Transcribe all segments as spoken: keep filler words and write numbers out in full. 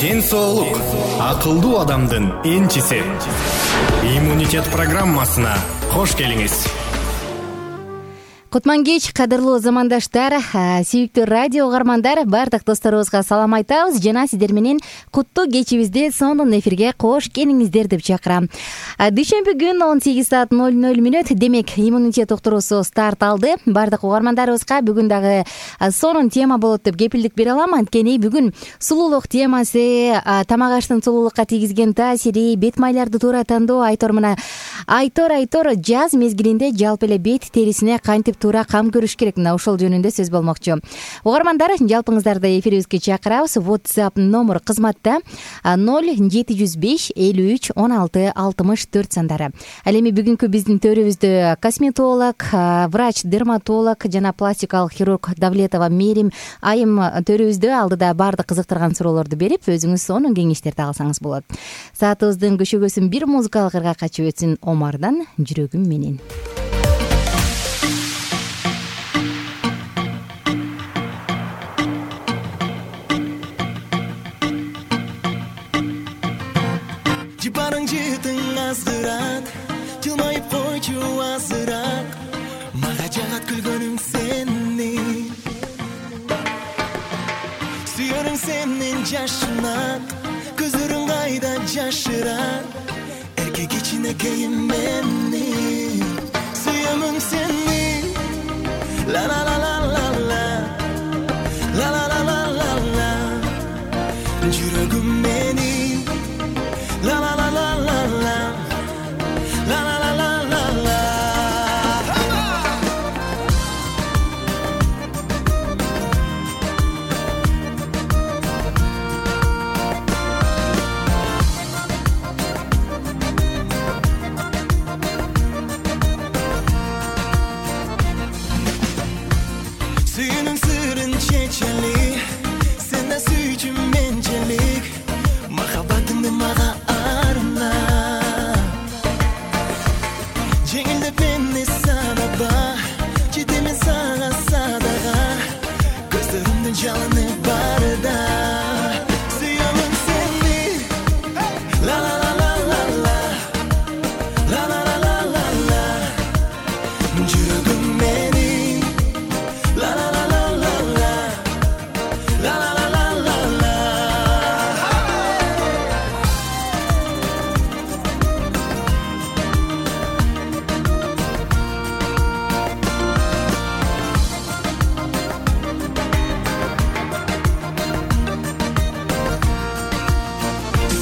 Ден соолук акылдуу адамдын энчиси. Иммунитет программасына кош келиңиз. Кутман кеч, кадырлуу замандаштар, сүйүктүү радио угармандар, бардык досторубузга салам айтабыз жана сиздер менен куттуу кечибизде сонун эфирге кош келиңиздер деп чакырам. Дүйшөмбү күн он сегиз саат ноль ноль мүнөт, демек иммунитет уктуруусу старт алды. Бардык угармандарыбызга бүгүн дагы сонун тема болот деп кепилдик бере алам. Анткени бүгүн сулуулук темасы, тамак аштын сулуулукка тийгизген таасири, бет майларды туура тандоо, айтор мына айтор айтор жаз мезгилинде жалпы эле бет терисине кантип туура кам көрүш керек, мына ошол жөнүндө сөз болмокчу. Угармандар, жалпыңыздарды эфирибизге чакырабыз. WhatsApp номер кызматта ноль жети жүз беш элүү үч он алты алтымыш төрт сандары. Ал эми бүгүнкү биздин төрүбүздө косметолог, врач, дерматолог жана пластикалык хирург Давлетова Мээрим айым төрүбүздө. Алдыда баардык кызыктырган суроолорду берип, өзүңүз сонун кеңештерди алсаңыз болот. Саатыбыздын көшөгөсүн бир музыкалык ырга качып өтсүн. Омардан жүрөгүм менен. Жибарың жытың азгырат, жылмайып койчу азыраак, мага жагат күлгөнүң сени. Сүйөрүң сенин жашынак, көзүрүң кайда жашырат, эркек ичине кейим мени. Сүйөмүң сени, ла ла ла ла ла ла, ла ла ла ла ла ла, жүрөгүм мени, ла ла ла ла ла ла, ла ла ла ла ла ла. Сүйүүнүң сырын чечели, сен да сүйчү менчелик, махаббатыңды мага арна. Жеңилдеп мени садаба, жетемен сага садага, көздөрүмдүн жалыны барда. Сүйөмүң сени, ла ла ла ла ла ла, ла ла ла ла ла ла, жүрөгүм мени, ла ла ла ла ла ла, ла ла ла ла ла ла.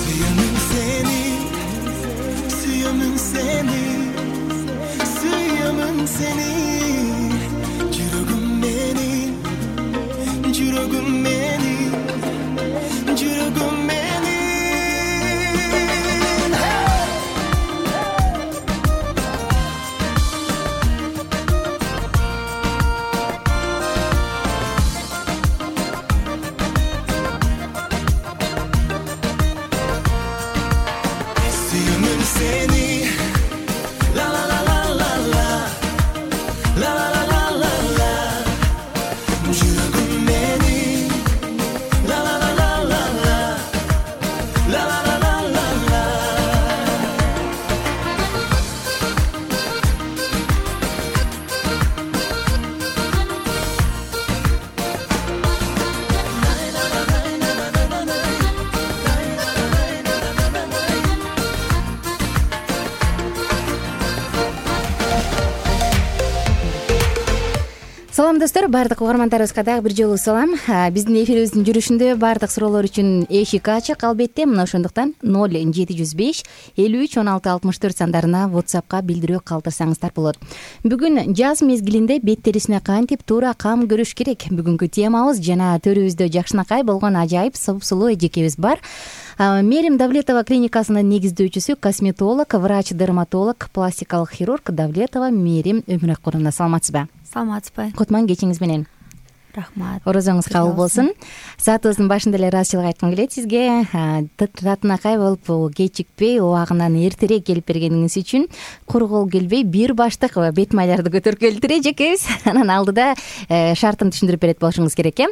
Сүйөмүң сени, сүйөмүң сени, сүйөмүң сени, жүрөгүм мени, жүрөгүм мени, жүрөгүм мени. Сүйөмүң сени, ла ла ла ла ла ла, ла ла ла ла ла ла, жүрөгүм мени, ла ла ла ла ла ла, ла ла ла ла ла ла. Салам достор, баардык угармандарыбызга дагы бир жолу салам. Биздин эфирибиздин жүрүшүндө баардык суроолор үчүн эшик ачык албетте. Мына ошондуктан ноль жети жүз беш элүү үч он алты алтымыш төрт сандарына WhatsAppка билдирүү калтырсаңыздар болот. Бүгүн жаз мезгилинде бет терисине кантип туура кам көрүш керек? Бүгүнкү темабыз, жана төрүбүздө жакшынакай болгон ажайып сулуу эжекебиз бар. Мээрим Давлетова клиникасынын негиздөөчүсү, косметолог, врач, дерматолог, пластикалык хирург Давлетова Мээрим Өмүракуловна. Саламатсызбы? Саламатсызбы? Кутман кечиңиз менен. Рахмат. Орозоңуз кабыл болсун. Саатыбыздын башында эле ыраазычылык айткым келет сизге. Татынакай болуп кечикпей, убагынан эртерээк келип бергениңиз үчүн. Куру кол келбей бир баштык бет майларды көтөрүп келиптир эжекебиз. Анан алдыда шартын түшүндүрүп берет болушуңуз керек э.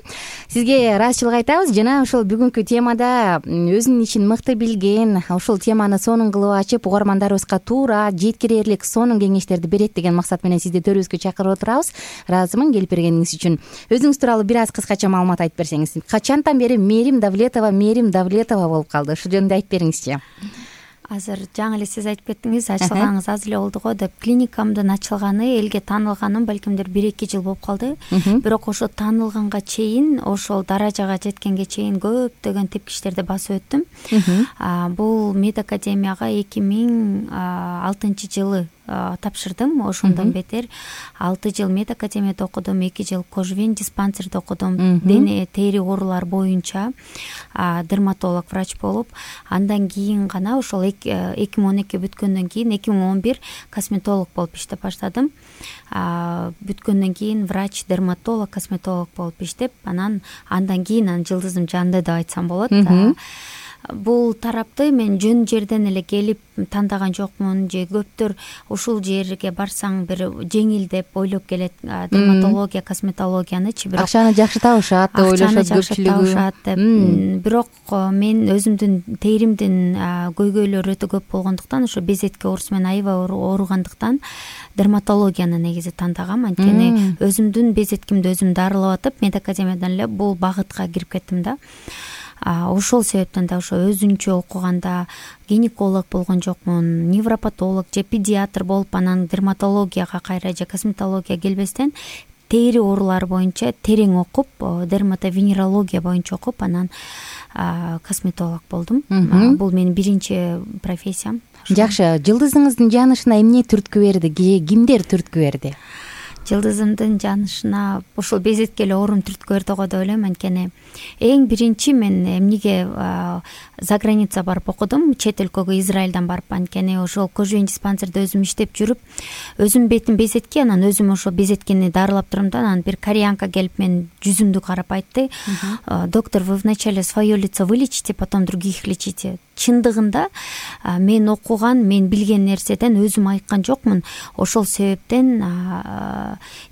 Сизге ыраазычылык айтабыз жана ошол бүгүнкү темада өзүнүн ишин мыкты билген, ошол теманы сонун кылып ачып, угармандарыбызга туура, жеткирээрлик сонун кеңештерди берет деген максат менен сизди төрүбүзгө чакырып отурабыз. Ыраазымын келип бергениңиз үчүн. Өзүңүз тууралуу бир аз кыскача маалымат айтып берсеңиз. Качантан бери Мээрим Давлетова, Мээрим Давлетова болуп калды? Ушул жөнүндө айтып бериңизчи. Азыр жаңы эле сиз айтып кеттиңиз, ачылганыңыз аз эле болду го деп. Клиникамдын ачылганы, элге таанылганым балкимдир бир эки жыл болуп калды. Бирок ошо таанылганга чейин, ошол даражага жеткенге чейин көптөгөн тепкичтерди басып өттүм. Бул медакадемияга эки миң алтынчы жылы тапшырдым. Ошондон бетер алты жыл медакадемияда окудум, эки жыл Кожвен диспансерде окудум. Дене тери оорулар боюнча дерматолог врач болуп, андан кийин гана ошол эки миң он эки бүткөндөн кийин эки миң он бир косметолог болуп иштеп баштадым. Бүткөндөн кийин врач, дерматолог, косметолог болуп иштеп, анан андан кийин анын жылдызым жанды деп айтсам болот. Бул тарапты мен жөн жерден эле келип тандаган жокмун, же көптөр ушул жерге барсаң бир жеңил деп ойлоп келет дерматология, косметологиянычы. Бирок акчаны жакшы табышат деп ойлошот көпчүлүгү. Бирок мен өзүмдүн теримдин көйгөйлөрү өтө көп болгондуктан, ошо безетке оорусу менен аябай ооругандыктан дерматологияны негизи тандагам. Анткени өзүмдүн безеткимди өзүм дарылап атып, медакадемиядан эле бул багытка кирип кеттим да. Ошол себептен да ошо өзүнчө окуганда гинеколог болгон жокмун, невропатолог же педиатр болуп, анан дерматологияга кайра же косметология келбестен тери оорулары боюнча терең окуп, дерматовенерология боюнча окуп, анан косметолог болдум. Бул менин биринчи профессиям. Жакшы, жылдызыңыздын жанышына эмне түрткү берди, кимдер түрткү берди? Жылдызымдын жанышына ошол безетке эле оорум түрткү берди го деп ойлойм. Анткени эң биринчи мен эмнеге за граница барып окудум, чет өлкөгө, Израилдан барып. Анткени ошол Кожвен диспансерде өзүм иштеп жүрүп, өзүм бетим безетке, анан өзүм ошо безеткени дарылап турам да. Анан бир кореянка келип мен жүзүмдү карап айтты: "Доктор, вы вначале свое лицо вылечите, потом других лечите." Чындыгында мен окуган, мен билген нерседен өзүм айыккан жокмун. Ошол себептен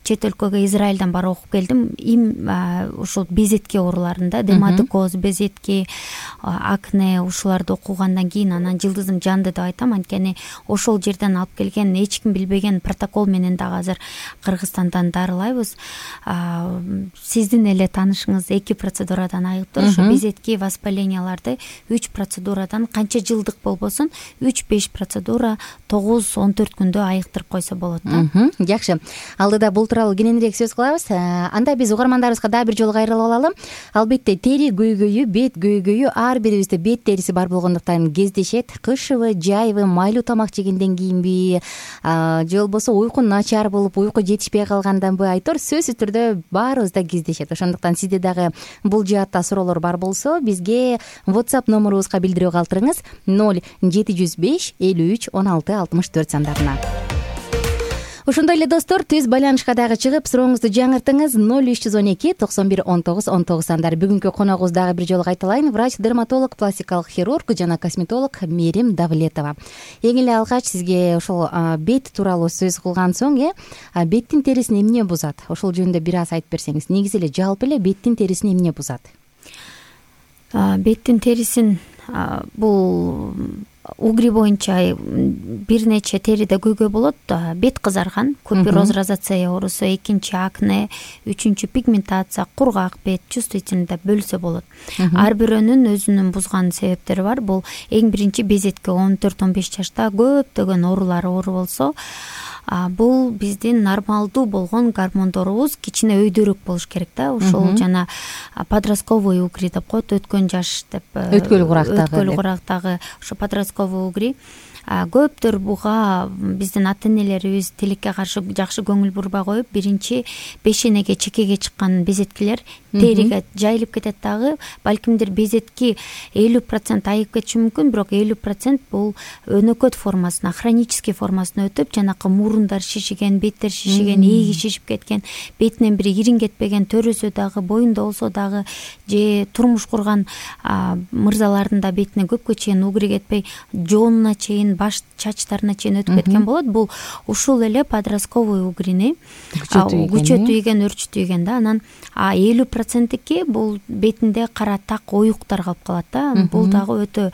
чет өлкөгө, Израилдан барып окуп келдим. Им ошол безетке ооруларында, дерматокоз, безетки, акне ушуларды окугандан кийин анан жылдызым жанды деп айтам. Анткени ошол жерден алып келген, эч ким билбеген протокол менен дагы азыр Кыргызстандан дарылайбыз. Сиздин эле таанышыңыз эки процедурадан айыптыр. Ошо безетки воспаленияларды үч процедурадан, канча жылдык болбосун, үч беш процедура тогуз он төрт күндө айыктырып койсо болот да. Жакшы. Алдыда бул тууралуу кененирээк сөз кылабыз. Анда биз угармандарыбызга дагы бир жолу кайрылып алалы. Албетте тери көйгөйү, бет көйгөйү ар бирибизде бет териси бар болгондуктан кездешет. Кышыбы, жайбы, майлуу тамак жегенден кийинби, же болбосо уйку начар болуп, уйку жетишпей калганданбы, айтор сөзсүз түрдө баарыбызда кездешет. Ошондуктан сизде дагы бул жаатта суроолор бар болсо, бизге WhatsApp номерубузга билдирүү калтырыңыз: ноль жети жүз беш элүү үч он алты алтымыш төрт сандарына. Ошондой эле достор, түз байланышка дагы чыгып, сурооңузду жаңыртыңыз: ноль үч жүз он эки токсон бир он тогуз он тогуз сандары. Бүгүнкү коногубуз дагы бир жолу кайталайын: врач, дерматолог, пластикалык хирург жана косметолог Мээрим Давлетова. Эң эле алгач сизге ошол бет тууралуу сөз кылган соң, э, беттин терисин эмне бузат? Ошол жөнүндө бир аз айтып берсеңиз. Негизи эле жалпы эле беттин терисин эмне бузат? Беттин терисин бул угри боюнча бир нече териде көйгөй болот. Бет кызарган, купероз, розацея оорусу, экинчи акне, үчүнчү пигментация, кургак бет, чувствительный деп бөлсө болот. Ар бирөөнүн өзүнүн бузган себептери бар. Бул эң биринчи безетке он төрт он беш жашта көптөгөн оорулар оор болсо, бул биздин нормалдуу болгон гормондорубуз кичине өйдөрөөк болуш керек да. Ошол жана подростковый угри деп коет, өткөн жаш деп, өткөл курактагы өткөл курактагы ошо подростковый угри. көптөр буга биздин ата энелерибиз тилекке каршы жакшы көңүл бурбай коюп, биринчи бешенеге, чекеге чыккан безеткилер териге жайылып кетет дагы. Балкимдир безетки элүү процент айып кетиши мүмкүн, бирок элүү процент бул өнөкөт формасына, хронический формасына өтүп, жанакы мурундар шишиген, беттер шишиген, ээги шишип кеткен, бетинен бири ирин кетпеген, төрөсө дагы, боюнда болсо дагы, же турмуш курган мырзалардын да бетине көпкө чейин угри кетпей, жоонуна чейин, баш чачтарына чейин өтүп кеткен болот. Бул ушул эле подростковый угрини күчөтүйгөн, өрчүтүйгөн да. Анан элүү проценттики бул бетинде кара так, оюктар калып калат да. Бул дагы өтө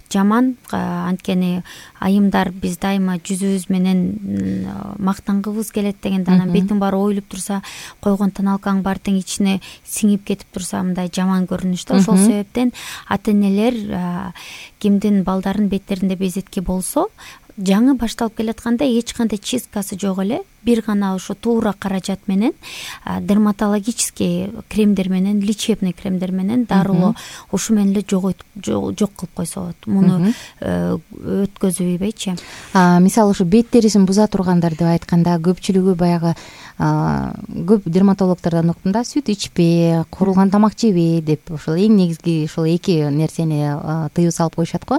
жаман. Анткени айымдар биз дайыма жүзүбүз менен мактангыбыз келет дегенде, анан бетиң баары оюлуп турса, койгон тоналкаң баары тең ичине сиңип кетип турса, мындай жаман көрүнүш да. Ошол себептен ата энелер кимдин балдарын беттеринде безетки болсо, жаңы башталып келатканда эч кандай чисткасы жок эле, бир гана ошо туура каражат менен, дерматологический кремдер менен, лечебный кремдер менен дарылоо ушу менен эле жок кылып койсо болот. Муну өткөзбөйчү. Мисалы ушу бет терисин буза тургандар деп айтканда, көпчүлүгү баягы көп дерматологтордон уктум да, сүт ичпе, куурулган тамак жебе деп, ошол эң негизги ушул эки нерсени тыюу салып коюшат го.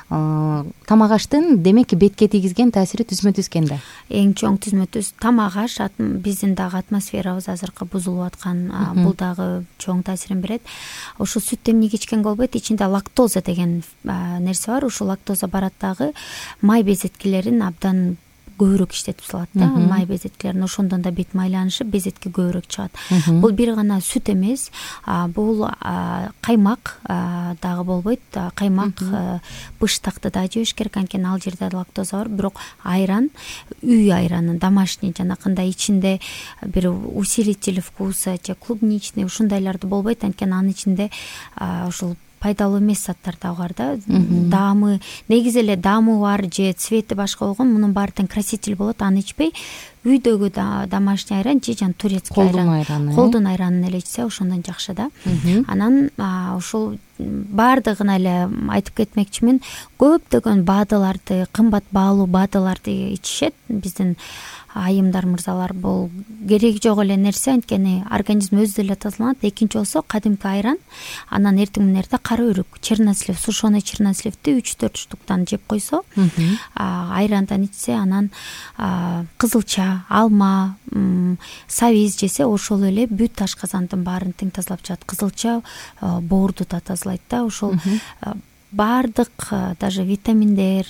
Тамак аштын демек бетке тийгизген таасири түзмө түз экен да. Эң чоң түзмө түз тамак аш биздин дагы атмосферабыз азыркы бузулуп аткан, бул дагы чоң таасирин берет. Ошо сүт эмне ичкенге болбойт, ичинде лактоза деген нерсе бар. Ушул лактоза барат дагы май безеткилерин абдан көбүрөөк иштетип салат да. Май безеткилерин, ошондон да бет майланышып, безетки көбүрөөк чыгат. Бул бир гана сүт эмес, бул каймак дагы болбойт. Каймак, быштакты да жебеш керек, анткени ал жерде лактоза бар. Бирок айран, үй айраны, домашний, жанакындай ичинде бир усилитель вкуса же клубничный ушундайларды болбойт, анткени анын ичинде ушул пайдалуу эмес заттар дагы бар да. Даамы, негизи эле даамы бар же цвети башка болгон, мунун баары тең краситель болот. Аны ичпей, үйдөгү домашний айран же жан турецкий айран, колдун айранын эле ичсе ошондон жакшы да. Анан ушул баардыгына эле айтып кетмекчимин, көптөгөн баадыларды, кымбат баалуу баадыларды ичишет биздин айымдар, мырзалар. Бул кереги жок эле нерсе, анткени организм өзү деле тазаланат. Экинчи болсо кадимки айран, анан эртең менен эрте кара өрүк, чернослив, сушеный черносливди үч төрт штуктан жеп койсо, айрандан ичсе, анан кызылча, алма, сабиз жесе, ошол эле бүт ашказандын баарын тең тазалап чыгат. Кызылча боорду да тазалайт да. Ошол баардык даже витаминдер,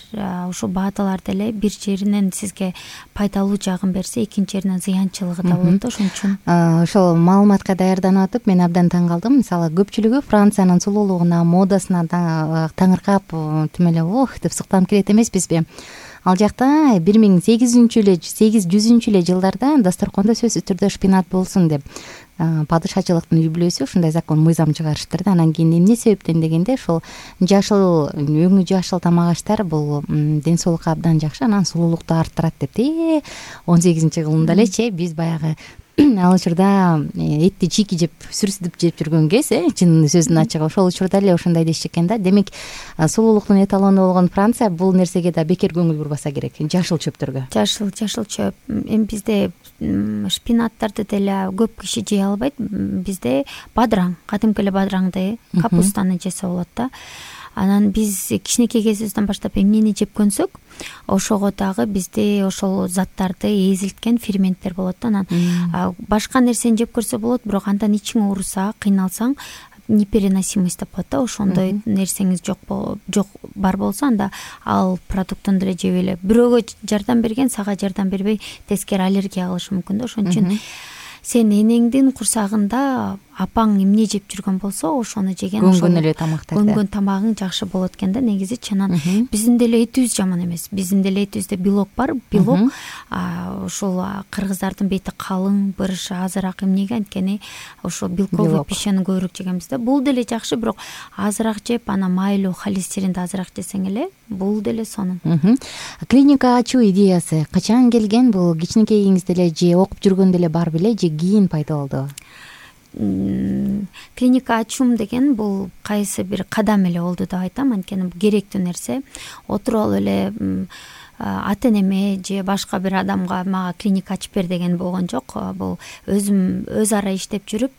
ушул баадалар деле бир жеринен сизге пайдалуу жагын берсе, экинчи жеринен зыянчылыгы да болот да. Ошон үчүн ошол маалыматка даярданып атып мен абдан таң калдым. Мисалы көпчүлүгү Франциянын сулуулугуна, модасына таңыркап, тим эле ох деп суктанып келет эмеспизби? Ал жакта бир миң сегиз жүзүнчү эле жылдарда дасторкондо сөзсүз түрдө шпинат болсун деп падышачылыктын үй-бүлөсү ушундай закон, мыйзам чыгарыштыр да. Анан кийин эмне себептен дегенде, ошол жашыл, өңү жашыл тамак аштар бул ден соолукка абдан жакшы, анан сулуулукту арттырат деп. он сегизинчи кылымда элечи биз баягы ал учурда этти чийки жеп, сүрсүдүп жеп жүргөн кез, э чын сөздүн ачыгы, ошол учурда эле ошондой дешчү экен да. Демек сулуулуктун эталону болгон Франция бул нерсеге да бекер көңүл бурбаса керек, жашыл чөптөргө. Жашыл, жашыл чөп. Эми бизде шпинаттарды деле көп киши жей албайт. Бизде бадыраң, кадимки эле бадыраңды, капустаны жесе болот да. Анан биз кичинекей кезибизден баштап эмнени жеп көнсөк, ошого дагы бизде ошол заттарды эзилткен ферменттер болот да. Анан башка нерсени жеп көрсө болот, бирок андан ичиң ооруса, кыйналсаң, непереносимость деп коет да. Ошондой нерсеңиз жок жок бар болсо, анда ал продуктун деле жебей. Бирөөгө жардам берген сага жардам бербей, тескери аллергия кылышы мүмкүн да. Ошон үчүн сен энеңдин курсагында апаң эмне жеп жүргөн болсо, ошону жеген, көнгөн эле тамактарды, көнгөн тамагың жакшы болот экен да. Негизи чанан биздин деле этибиз жаман эмес. Биздин деле этибизде белок бар. Белок ошол кыргыздардын бети калың, бырышы азыраак, эмнеге? Анткени ошо белковый пищаны көбүрөөк жегенбиз да. Бул деле жакшы, бирок азыраак жеп, анан майлуу холестеринди азыраак жесең эле бул деле сонун. Клиника ачуу идеясы качан келген? Бул кичинекейиңизде эле же окуп жүргөндө эле бар беле, же кийин пайда болду? клиника ачуум деген бул кайсы бир кадам эле болду деп айтам, анткени бул керектүү нерсе. Отуруп алып эле ата энеме же башка бир адамга мага клиника ачып бер деген болгон жок. Бул өзүм өз ара иштеп жүрүп,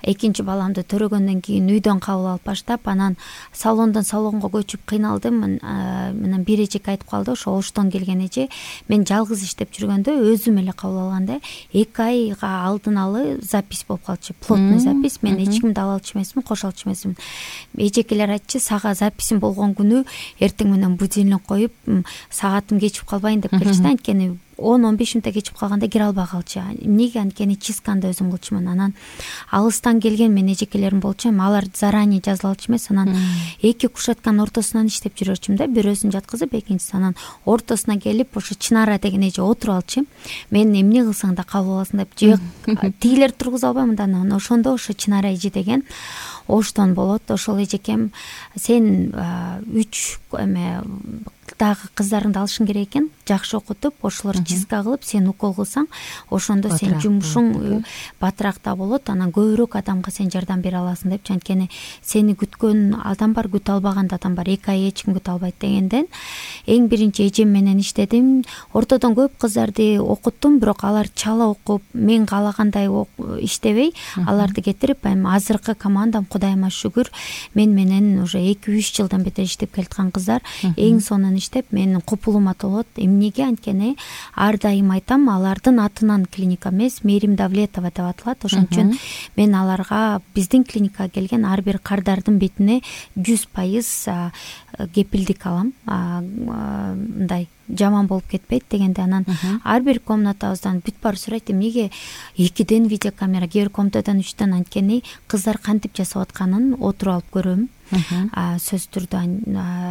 экинчи баламды төрөгөндөн кийин үйдөн кабыл алып баштап, анан салондон салонго көчүп кыйналдым. Анан бир эжеке айтып калды, ошо Оштон келген эже, мен жалгыз иштеп жүргөндө өзүм эле кабыл алганда эки айга алдын алы запись болуп калчу, плотный запись. Мен эч кимди ала алчу эмесмин, кошо алчу эмесмин. Эжекелер айтчу, сага записим болгон күнү эртең менен будильник коюп, саатым кечип калбайын деп келчү да, анткени он он беш мүнөттө кечип калганда кире албай калчу. Эмнеге? Анткени чистканды өзүм кылчумун. Анан алыстан келген мен эжекелерим болчу, алар заранее жазыла алчу эмес. Анан эки кушетканын ортосунан иштеп жүрөчүм да, бирөөсүн жаткызып, экинчиси анан ортосуна келип, ошо Чынара деген эже отуруп алчу. Мен эмне кылсаң да кабыл аласың деп, же тигилер тургуза албайм да. Анан ошондо ошо Чынара эже деген Оштон болот. Ошол эжекем, сен үч эме дагы кыздарыңды алышың керек экен, жакшы окутуп, ошолор чистка кылып, сен укол кылсаң, ошондо сен жумушуң батыраак да болот, анан көбүрөөк адамга сен жардам бере аласың депчи. Анткени сени күткөн адам бар, күтө албаган адам бар, эки ай эч ким күтө албайт дегенден эң биринчи эжем менен иштедим. Ортодон көп кыздарды окуттум, бирок алар чала окуп, мен каалагандай иштебей, аларды кетирип, эми азыркы командам Кудайыма шүгүр, мен менен уже эки үч жылдан бетер иштеп келаткан кыздар. Эң сонун иштеп, менин купулума толот. Эмнеге? Анткени ар дайым айтам, алардын атынан клиника эмес, Мерим Давлетова деп аталат. Ошон үчүн мен аларга биздин клиникага келген ар бир кардардын бетине жүз пайыз кепилдик алам. Мындай жаман болуп кетпейт дегенде, анан ар бир комнатабыздан бүт баары сурайт, эмнеге экиден видеокамера, кээ бир комнатадан үчтөн, анткени кыздар кантип жасап атканын отуруп алып көрөм. Сөз түрдө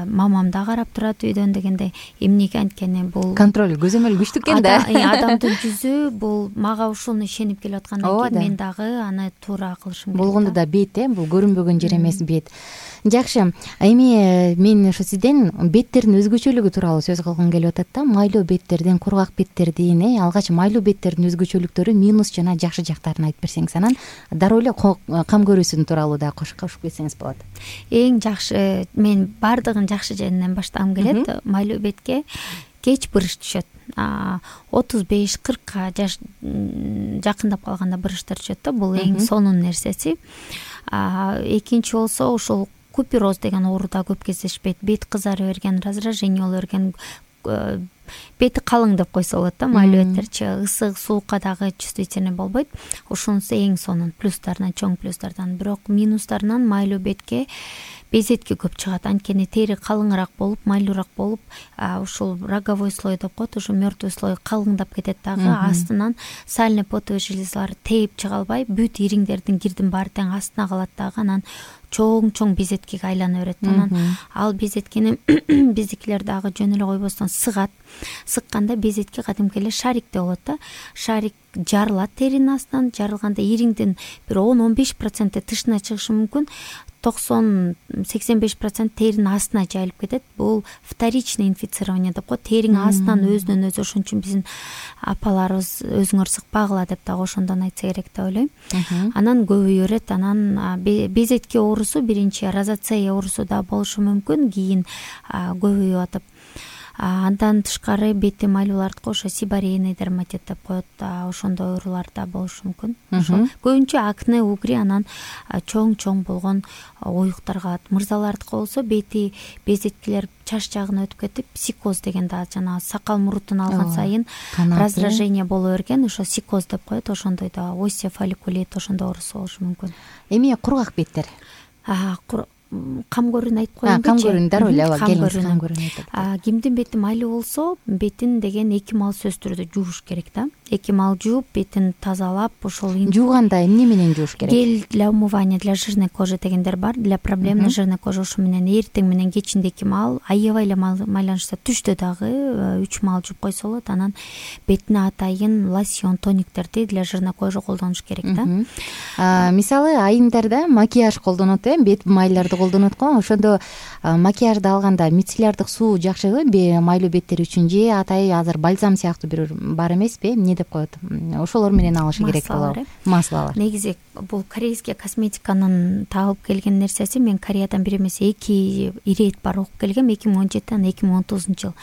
мамам да карап турат үйдөн дегенде. Эмнеге? Анткени бул контроль, көзөмөл күчтүү экен да. Адамдын жүзү бул мага ушуну ишенип келип аткандан кийин мен дагы аны туура кылышым керек. Болгондо да бет, э, бул көрүнбөгөн жер эмес, бет. Жакшы. Эми мен ошо сизден беттердин өзгөчөлүгү тууралуу сөз кылгым келип атат да. Майлуу беттердин, кургак беттердин, э, алгач майлуу беттердин өзгөчөлүктөрү, минус жана жакшы жактарын айтып берсеңиз, анан дароо эле кам көрүүсүн тууралуу да кошуп кетсеңиз болот. Эң жакшы, мен бардыгын жакшы жеринен баштагым келет. Майлуу бетке кеч бырыш түшөт. отуз беш кыркка жаш жакындап калганда бырыштар түшөт да. Бул эң сонун нерсеси. Экинчи болсо ушул купероз деген ооруда көп кездешпейт. Бет кызары берген, раздражение боло берген, бети калың деп койсо болот да. Майлуу беттерчи ысык, суукка дагы чувствительный болбойт. Ошонусу эң сонун плюстарынан, чоң плюстардан. Бирок минустарынан майлуу бетке безетки көп чыгат. Анткени тери калыңыраак болуп, майлуураак болуп, ушул роговой слой деп коет, ошо мертвый слой калыңдап кетет дагы. Астынан сальный потовый железалар тээп чыга албай, бүт ириңдердин кирдин баары тең астына калат дагы. Анан чоң-чоң безеткеге айлана берет. Анан ал безеткени биздикилер дагы жөн эле койбостон сыгат. Сыкканда безетке кадимки эле шарикте болот да. Шарик жарылат теринин астынан, жарылганда ириңдин бир он он беш проценти тышына чыгышы мүмкүн. токсон сексен беш процент теринин астына жайылып кетет. Бул вторичный инфицирование деп коет. Териң астынан өзүнөн өзү. Ошон үчүн биздин апаларыбыз өзүңөр сыкпагыла деп дагы ошондон айтса керек деп ойлойм. Анан көбөйө берет. Анан безетке оорусу, биринчи розацея оорусу да болушу мүмкүн, кийин көбөйүп атып. Андан тышкары бети майлуулардыкы ошо сибарейный дерматит деп коет. Ошондой оорулар да болушу мүмкүн. Ошо көбүнчө акне, угри, анан чоң-чоң болгон оюктарга. Мырзалардыкы болсо бети безеткилер чаш жагына өтүп кетип, сикоз деген да жана сакал мурутун алган сайын раздражение боло берген, ошо сикоз деп коет. Ошондой да осия фолликулит, ошондой оорусу болушу мүмкүн. Эми кургак беттер? Кам көрүүнү айтып коеюн. Кам көрүүнү дароо эле келиңиз, кам көрүүнү айтып. Кимдин бети майлуу болсо, бетин деген эки мал сөз түрдө жууш керек да. Эки мал жууп, бетин тазалап, ошол жууганда эмне менен жууш керек? Гель для умывания для жирной кожи дегендер бар. Для проблемной жирной кожи ошо менен эртең менен кечинде эки мал, аябай эле майланышса түштө дагы үч мал жууп койсо болот. Анан бетине атайын лосьон, тониктерди для жирной кожи колдонуш керек да. Мисалы айымдарда макияж колдонот, э, бет майларды колдонот го. Ошондо макияжды алганда мицеллярдык суу жакшыбы майлуу беттер үчүн, же атайын азыр бальзам сыяктуу бир бар эмеспи? Эмне деп коет, ошолор менен алышы керек болот. Маслалар. Негизи бул корейский косметиканын таап келген нерсеси. Мен Кореядан бир эмес эки ирет бар окуп келгем, эки миң он жетиден эки миң он тогузунчу жыл.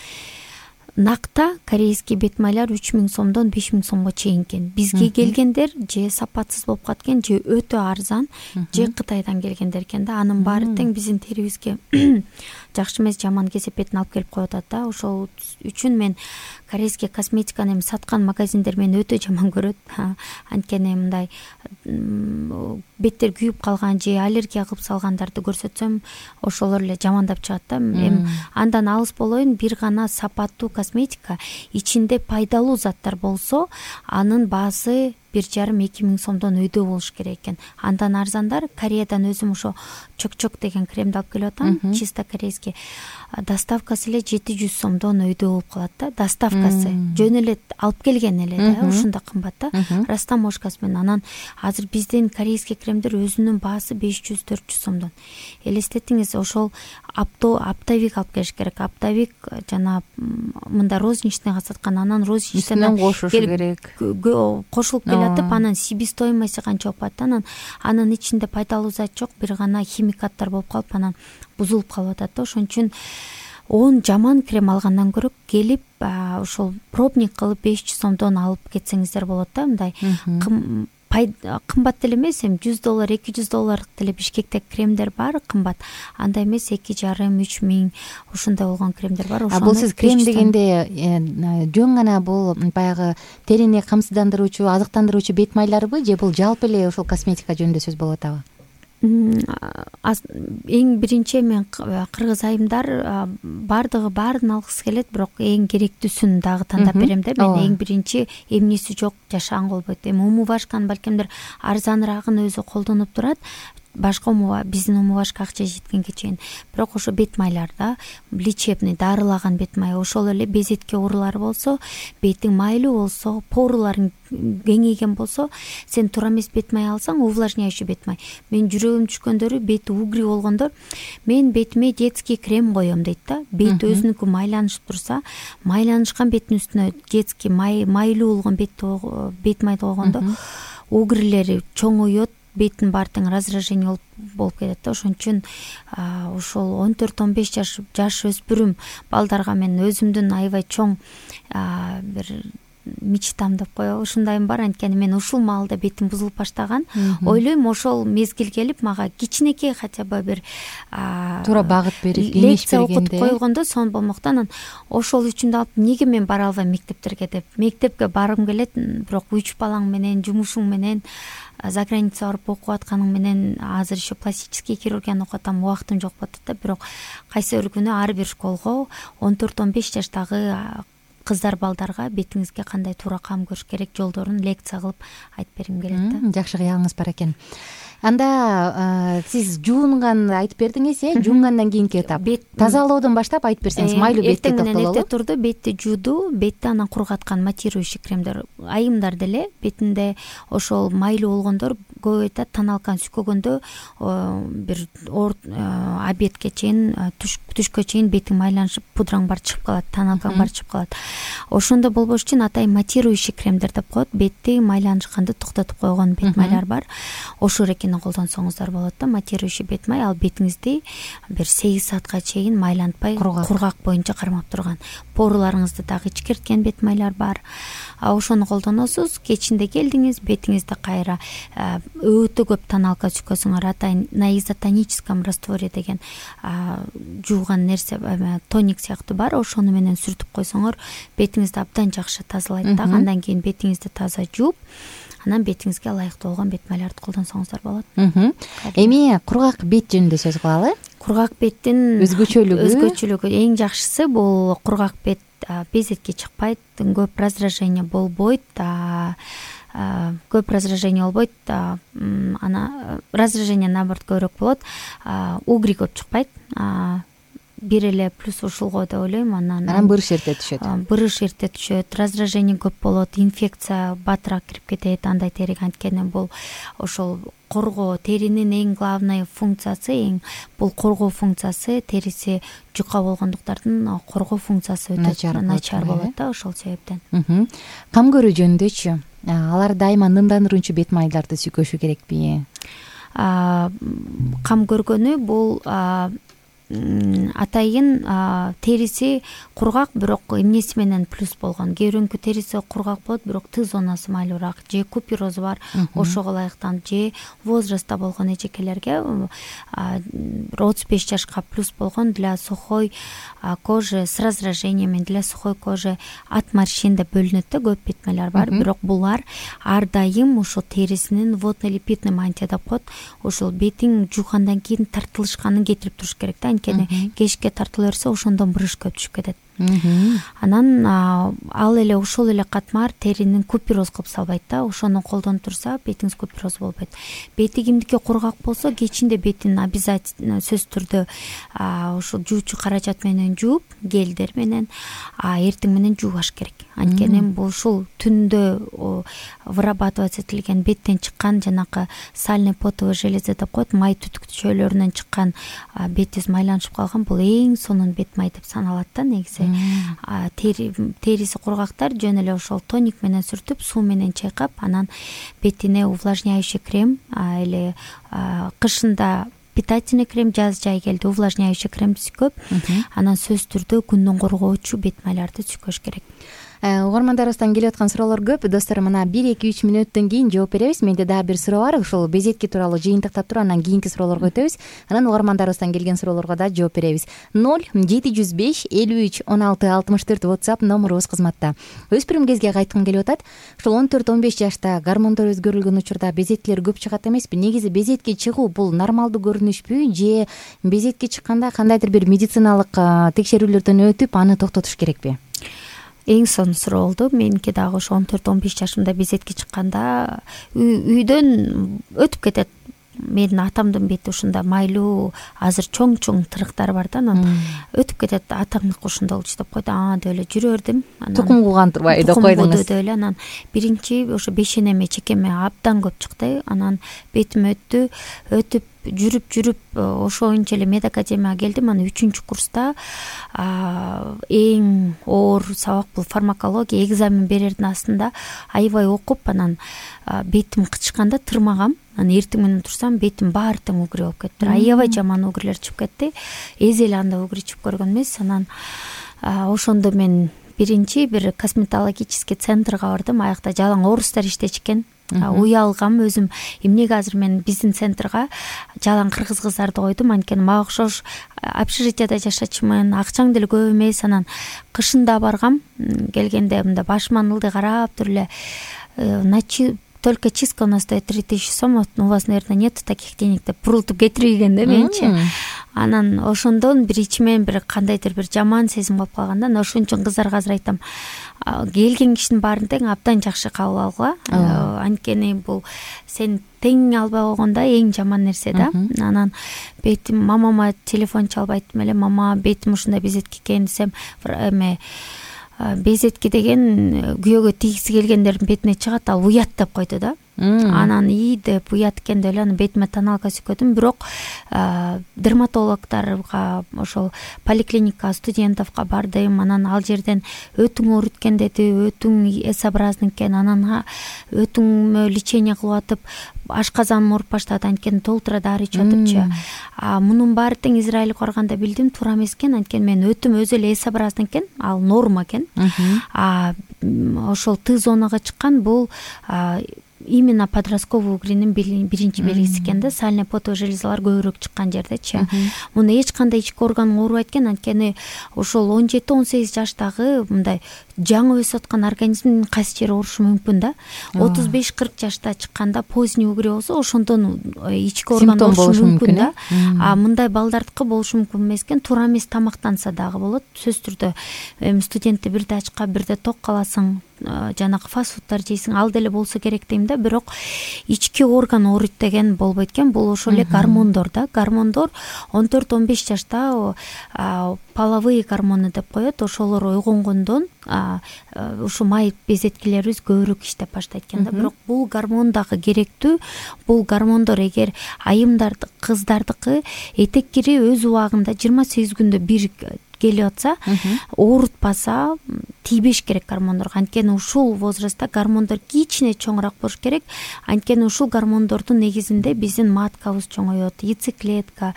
Накта корейский бет майлар үч миң сомдон беш миң сомго чейин экен. Бизге келгендер же сапатсыз болуп каткан, же өтө арзан, же Кытайдан келгендер экен да. Анын баары тең биздин терибизге жакшы эмес, жаман кесепетин алып келип коюп атат да. Ошол үчүн мен корейский косметиканы эми саткан магазиндер мени өтө жаман көрөт. Анткени мындай беттер күйүп калган же аллергия кылып салгандарды көрсөтсөм, ошолор эле жамандап чыгат да. Эми андан алыс болоюн, бир гана сапаттуу косметика ичинде пайдалуу заттар болсо, анын баасы бир жарым эки миң сомдон өйдө болуш керек экен. Андан арзандар Кореядан өзүм ошо чок-чок деген кремди алып келип атам, чисто корейский. Доставкасы эле жети жүз сомдон өйдө болуп калат да. Доставкасы жөн эле алып келген эле да, ушунда кымбат да. Растаможкасы менен. Анан азыр биздин корейский кремдер өзүнүн баасы беш жүз төрт жүз сомдон. Элестетиңиз, ошол апто аптовик алып келиш керек. Аптовик жана мында розничныйга саткан, анан розничныйдан кошуш керек. Кошулуп келатып, анан себестоимости канча болуп атат. Анан анын ичинде пайдалуу зат жок, бир гана химикаттар болуп калып, анан бузулуп калып атат да. Ошон үчүн он жаман крем алгандан көрө келип ошол пробник кылып беш жүз сомдон алып кетсеңиздер болот да. Мындай кымбат деле эмес, эми жүз доллар, эки жүз доллар деле Бишкекте кремдер бар, кымбат. Андай эмес, эки жарым, үч миң ушундай болгон кремдер бар. А бул сиз крем дегенде жөн гана бул баягы терини камсыздандыруучу, азыктандыруучу бет майларбы, же бул жалпы эле ошол косметика жөнүндө сөз болуп атабы? Эң биринчи мен кыргыз айымдар бардыгы баарын алгысы келет, бирок эң керектүүсүн дагы тандап берем да. Мен эң биринчи эмниси жок жашаган болбойт. Эми умувашканы балкимдир арзаныраагын өзү колдонуп турат. Башка умува, биздин умувашка акча жеткенге чейин. Бирок ошо бет майлар да, лечебный, дарылаган бет май, ошол эле безетке оорулары болсо, бетиң майлуу болсо, поруларың кеңейген болсо, сен туура эмес бет май алсаң, увлажняющий бет май. Мен жүрөгүм түшкөндөрү, бети угри болгондор, мен бетиме детский крем коем дейт да. Бет өзүнүкү майланышып турса, майланышкан беттин үстүнө детский май, майлуу болгон бет бет майды койгондо угрилери чоңоет, беттин баары тең раздражение болуп кетет да. Ошон үчүн ошол он төрт он беш жаш жаш өспүрүм балдарга мен өзүмдүн аябай чоң бир мечтам деп коебу, ушундайым бар. Анткени мен ушул маалда бетим бузулуп баштаган. Ойлойм, ошол мезгил келип мага кичинекей хотя бы бир туура багыт берип, кеңеш бергенде, окутуп койгондо сон болмокто. Анан ошол үчүн алып, эмнеге мен бара албайм мектептерге деп. Мектепке баргым келет, бирок үч балаң менен, жумушуң менен, за граница барып окуп атканың менен, азыр еще пластический хирургияны окуп атам, убактым жок болуп атат да. Бирок кайсы бир күнү ар бир школго он төрт он беш жаштагы кыздар балдарга бетиңизге кандай туура кам көрүш керек жолдорун лекция кылып айтып бергим келет да. Жакшы кыялыңыз бар экен. Анда сиз жуунганды айтып бердиңиз, э? Жуунгандан кийинки этап. Тазалоодон баштап айтып берсеңиз, майлуу бетке токтололу. Эртең турду, бетти жууду, бетти анан кургаткан матирующий кремдер. Айымдар деле бетинде ошол майлуу болгондор көп айтат, таналканы сүйкөгөндө бир обедке чейин, түшкө чейин бетиң майланышып, пудраң бар чыгып калат, таналкаң бар чыгып калат. Ошондо болбош үчүн атайын матирующий кремдер деп коет. Бетти майланышканды токтотуп койгон бет майлар бар. Ошо рекени колдонсоңуздар болот да. Матирующий бет май ал бетиңизди бир сегиз саатка чейин майлантпай, кургак боюнча кармап турган. Поруларыңызды дагы ичкерткен бет майлар бар. Ошону колдоносуз. Кечинде келдиңиз, бетиңизди кайра өтө көп таналка сүйкөсүңөр, атайын на изотоническом растворе деген жууган нерсе, тоник сыяктуу бар. Ошону менен сүртүп койсоңор, бетиңизди абдан жакшы тазалайт да. Андан кийин бетиңизди таза жууп, анан бетиңизге ылайыктуу болгон бет майларды колдонсоңуздар болот. Эми кургак бет жөнүндө сөз кылалы. Кургак беттин өзгөчөлүгү өзгөчөлүгү эң жакшысы бул кургак бет безетке чыкпайт, көп раздражение болбойт, көп раздражение болбойт, ана раздражение наоборот көбүрөөк болот, угри көп чыкпайт, бир эле плюс ушулго деп ойлойм. Анан анан бырыш эрте түшөт. Бырыш эрте түшөт, раздражение көп болот, инфекция батыраак кирип кетет андай териге. Анткени бул ошол коргоо, теринин эң главный функциясы, эң бул коргоо функциясы, териси жука болгондуктардын коргоо функциясы өтө начар болот да, ошол себептен. Кам көрүү жөнүндөчү алар дайыма нымдандыруучу бет майларды сүйкөшү керекпи? Кам көргөнү бул атайын териси кургак, бирок эмнеси менен плюс болгон. Кээ бирөөнүкү териси кургак болот, бирок Т зонасы майлуураак, же куперозу бар, ошого ылайыктанып, же возрастта болгон эжекелерге отуз беш жашка плюс болгон для сухой кожи с раздражениями, для сухой кожи от морщин деп бөлүнөт да, көп бет майлар бар. Бирок булар ар дайым ошол терисинин водно-липидный мантия деп коет. Ошол бетиң жуугандан кийин тартылышканын кетирип туруш керек да. Анткени кечке тартыла берсе ошондон бырыш көп түшүп кетет. Анан ал эле ошол эле катмар теринин купероз кылып салбайт да. Ошону колдонуп турса бетиңиз купероз болбойт. Бети кимдики кургак болсо кечинде бетин обязательно сөзсүз түрдө ошол жуучу каражат менен жууп, гелдер менен эртең менен жуугаш керек. Анткени бул ушул түндө вырабатывать этилген беттен чыккан жанакы сальный потовый железа деп коет, май түтүкчөлөрүнөн чыккан бетиңиз майланышып калган, бул эң сонун бет май деп саналат да негизи. Териси кургактар жөн эле ошол тоник менен сүртүп, суу менен чайкап, анан бетине увлажняющий крем, эле кышында питательный крем, жаз жай келди увлажняющий крем сүйкөп, анан сөзсүз түрдө күндөн коргоочу бет майларды сүйкөш керек. Угармандарыбыздан келип аткан суроолор көп. Достор, мына бир эки үч мүнөттөн кийин жооп беребиз. Менде дагы бир суроо бар. Ушул безетки тууралуу жыйынтыктап туруп, анан кийинки суроолорго өтөбүз. Анан угармандарыбыздан келген суроолорго да жооп беребиз. ноль жети жүз беш элүү үч он алты алтымыш төрт WhatsApp номурубуз кызматта. Өспүрүм кезге кайткым келип атат. Ушул он төрт он беш жашта гормондор өзгөрүлгөн учурда безеткилер көп чыгат эмеспи? Негизи безетки чыгуу бул нормалдуу көрүнүшпү, же безетки чыкканда кандайдыр бир медициналык текшерүүлөрдөн өтүп аны токтотуш керекпи? Эң сонун суроо болду. Меники дагы ошо он төрт он беш жашымда безетки чыкканда үйдөн өтүп кетет. Менин атамдын бети ушунда майлуу, азыр чоң-чоң тырыктар бар да, анан өтүп кетет. Атаңдыкы ушундай болчу деп койду. Аа деп эле жүрө бердим. Тукум кууган турбайбы деп койдуңуз. Деп эле анан биринчи ошо бешенеме, чекеме абдан көп чыкты. Анан бетим өттү, өтүп жүрүп жүрүп ошоюнча эле медакадемияга келдим. Анан үчүнчү курста эң оор сабак бул фармакология, экзамен берердин астында аябай окуп, анан бетим кычканда тырмагам. Анан эртең менен турсам бетим баары тең угри болуп кетти. Аябай жаман угрилер чыгып кетти. Эзи эле анда угри чыгып көргөн эмес. Анан ошондо мен биринчи бир косметологический центрге бардым. Аякта жалаң орустар иштечү экен. Уялгам өзүм, эмнеге азыр мен биздин центрга жалаң кыргыз кыздарды койдум, анткени мага окшош общежитияда жашачумун, акчаң деле көп эмес. Анан кышында баргам, келгенде мында башыман ылдый карап туруп эле только чистка у нас стоит три тысячи сом, у вас, наверное, нет таких денег деп бурултуп кетирген да менчи. Анан ошондон бир ичимен бир кандайдыр бир жаман сезим калып калганда, ошон үчүн кыздарга азыр айтам, келген кишинин баарын тең абдан жакшы кабыл алгыла. Анткени бул сен тең албай койгондо эң жаман нерсе да. Анан бетим, мамама телефон чалып айттым эле, мама бетим ушундай безетки экен десем, эме безетки деген күйөөгө тийгиси келгендердин бетине чыгат, ал уят деп койду да. Анан ии деп уят экен деп эле анан бетиме тоналка сүйкөдүм. Бирок дерматологторго, ошол поликлиника студентовго бардым. Анан ал жерден өтүң ооруткан деди, өтүң S-образный экен. Анан өтүңмө лечение кылып атып, ашказаным ооруп баштады, анткени толтура дары ичип атыпчы. Мунун баары тең Израилге барганда билдим, туура эмес экен, анткени мен өтүм өзү эле S-образный экен, ал норма экен. Ошол Т зонага чыккан бул именно подростковый угринин биринчи белгиси экен да, сальный потовый железалар көбүрөөк чыккан жердечи. Муну эч кандай ички орган оорубайт экен, анткени ошол он жети он сегиз жаштагы мындай жаңы өсүп аткан организмдин кайсы жери оорушу мүмкүн да. отуз беш кырк жашта чыкканда поздний угрей болсо ошондон ички орган оорушу мүмкүн да. А мындай балдардыкы болушу мүмкүн эмес экен. Туура эмес тамактанса дагы болот. Сөзсүз түрдө эми студентти бирде ачка бирде ток каласың, жанагы фастфудтар жейсиң, ал деле болсо керек дейм да. Бирок ички орган ооруйт деген болбойт экен. Бул ошол эле гормондор да. Гормондор он төрт он беш жашта половые гормоны деп коет. Ошолор ойгонгондон ушу май безеткилерибиз көбүрөөк иштеп баштайт экен да. Бирок бул гормон дагы керектүү. Бул гормондор эгер айымдарды, кыздардыкы этек кири өз убагында жыйырма сегиз күндө бир келип атса, оорутпаса, тийбеш керек гормондорго. Анткени ушул возрастта гормондор кичине чоңураак болуш керек. Анткени ушул гормондордун негизинде биздин маткабыз чоңоет, яйцеклетка,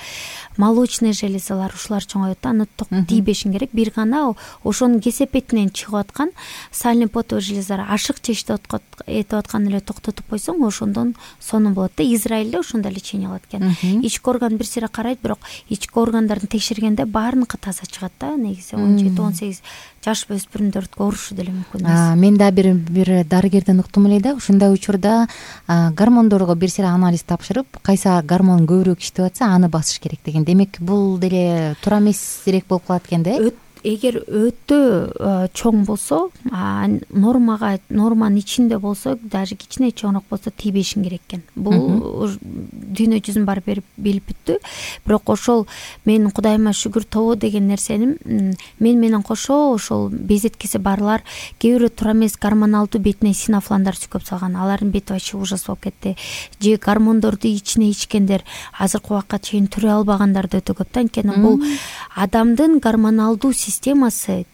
молочный железалар ушулар чоңоет. Аны тийбешин керек. Бир гана ошонун кесепетинен чыгып аткан сальный потовый железалар ашык чечип этип аткан эле токтотуп койсоң, ошондон сонун болот да. Израилде ошондой лечение алат экен. Ички орган бир сыйра карайт, бирок ички органдарды текшергенде баарыныкы таза чыгат да. Негизи он жети он сегиз жаш өспүрүмдөрдүкү оорушу деле мүмкүн эмес. Мен да бир бир дарыгерден уктум эле да. Ушундай учурда гормондорго бир сыйра анализ тапшырып, кайсы гормон көбүрөөк иштеп атса, аны басыш керек деген. Демек, бул деле туура эмесирээк болуп калат экен да. Эгер өтө чоң болсо, нормага норманын ичинде болсо, даже кичине чоңураак болсо тийбешин керек экен. Бул дүйнө жүзүн бар берип билип бүттү. Бирок ошол менин Кудайыма шүгүр тобо деген нерсени мен менен кошо ошол безеткиси барлар кээ бирөө туура эмес гормоналдуу бетине синофландар сүкөп салган. Алардын бети вообще ужас болуп кетти. Же гормондорду ичине ичкендер азыркы убакка чейин түрө албагандар да өтө көп да. Анткени бул адамдын гормоналдуу системасы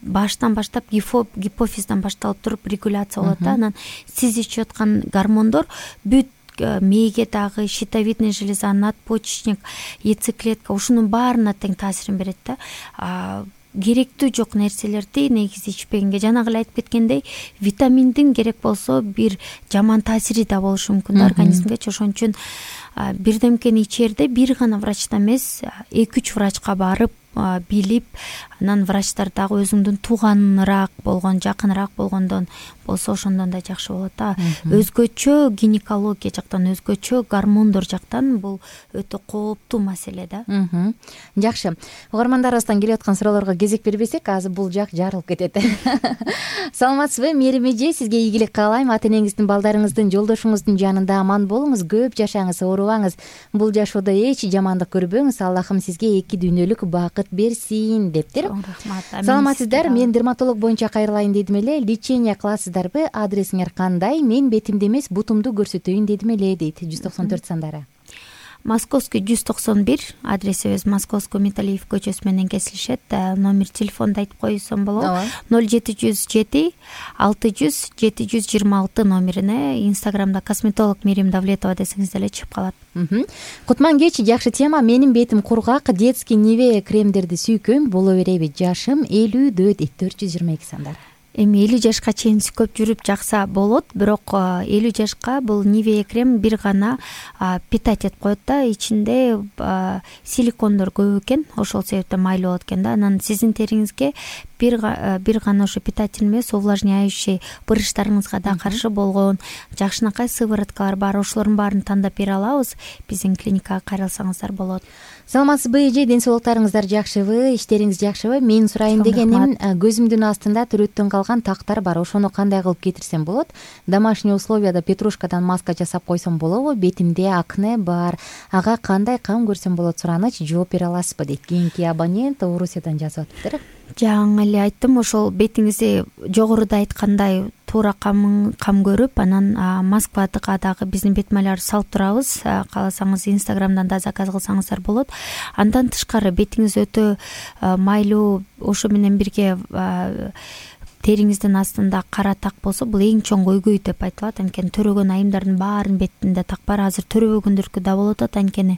баштан баштап гипофиздан башталып туруп регуляция болот да. Анан сиз ичип аткан гормондор бүт мээге дагы, щитовидный железа, надпочечник, яйцеклетка ушунун баарына тең таасирин берет да. Керектүү жок нерселерди негизи ичпегенге, жанагы эле айтып кеткендей, витаминдин керек болсо бир жаман таасири да болушу мүмкүн да организмге. Ошон үчүн бирдемкени ичерде бир гана врачтан эмес, эки үч врачка барып билип, анан врачтар дагы өзүңдүн тууганыраак болгон, жакыныраак болгондон болсо ошондон да жакшы болот да. Өзгөчө гинекология жактан, өзгөчө гормондор жактан бул өтө кооптуу маселе да. Жакшы. Угармандарыбыздан келип аткан суроолорго кезек бербесек, азыр бул жак жарылып кетет. Саламатсызбы, Мерим эже? Сизге ийгилик каалайм. Ата энеңиздин, балдарыңыздын, жолдошуңуздун жанында аман болуңуз, көп жашаңыз, оорубаңыз. Бул жашоодо эч жамандык көрбөңүз. Аллахым сизге эки дүйнөлүк бакыт берсин дептир. Саламатсыздар, мен дерматолог боюнча кайрылайын дедим эле. Лечение кыласыздарбы? Адресиңер кандай? Мен бетимди эмес, бутумду көрсөтөйүн дедим эле, дейт. жүз токсон төрт сандары. Московский жүз токсон бир, адресибиз Московский Металлиев көчөсү менен кесилишет. Номер телефонду айтып койсом болот. ноль жети жүз жети алты жүз жети жүз жыйырма алты номерине. Инстаграмда косметолог Мерим Давлетова десеңиз деле чыгып калат. Кутман кеч, жакшы тема. Менин бетим кургак, детский Нивея кремдерди сүйкөйм, боло береби? Жашым элүүдө дейт. төрт жүз жыйырма эки сандар. Эми элүү жашка чейин сүкөп жүрүп жакса болот, бирок элүү жашка бул Нивея крем бир гана питать этип коет да, ичинде силикондор көп экен, ошол себептен майлуу болот экен да. Анан сиздин териңизге бир бир гана ошо питательный эмес, увлажняющий, бырыштарыңызга да каршы болгон жакшынакай сывороткалар бар. Ошолордун баарын тандап бере алабыз. Биздин клиникага кайрылсаңыздар болот. Саламатсызбы эже? Ден соолуктарыңыздар жакшыбы? Иштериңиз жакшыбы? Мен сурайын дегеним, көзүмдүн астында түрөттөн калган тактар бар. Ошону кандай кылып кетирсем болот? Домашний условияда петрушкадан маска жасап койсом болобу? Бетимде акне бар. Ага кандай кам көрсөм болот? Сураныч, жооп бере аласызбы дейт. Кийинки абонент Орусиядан жазып атыптыр. Жаңы эле айттым, ошол бетиңизди жогоруда айткандай туура кам кам көрүп, анан Москвага дагы биздин бет майларды салып турабыз. Кааласаңыз Инстаграмдан да заказ кылсаңыздар болот. Андан тышкары бетиңиз өтө майлуу, ошо менен бирге териңиздин астында кара так болсо, бул эң чоң көйгөй деп айтылат. Анткени төрөгөн айымдардын баарынын бетинде так бар. Азыр төрөбөгөндөркү да болуп атат. Анткени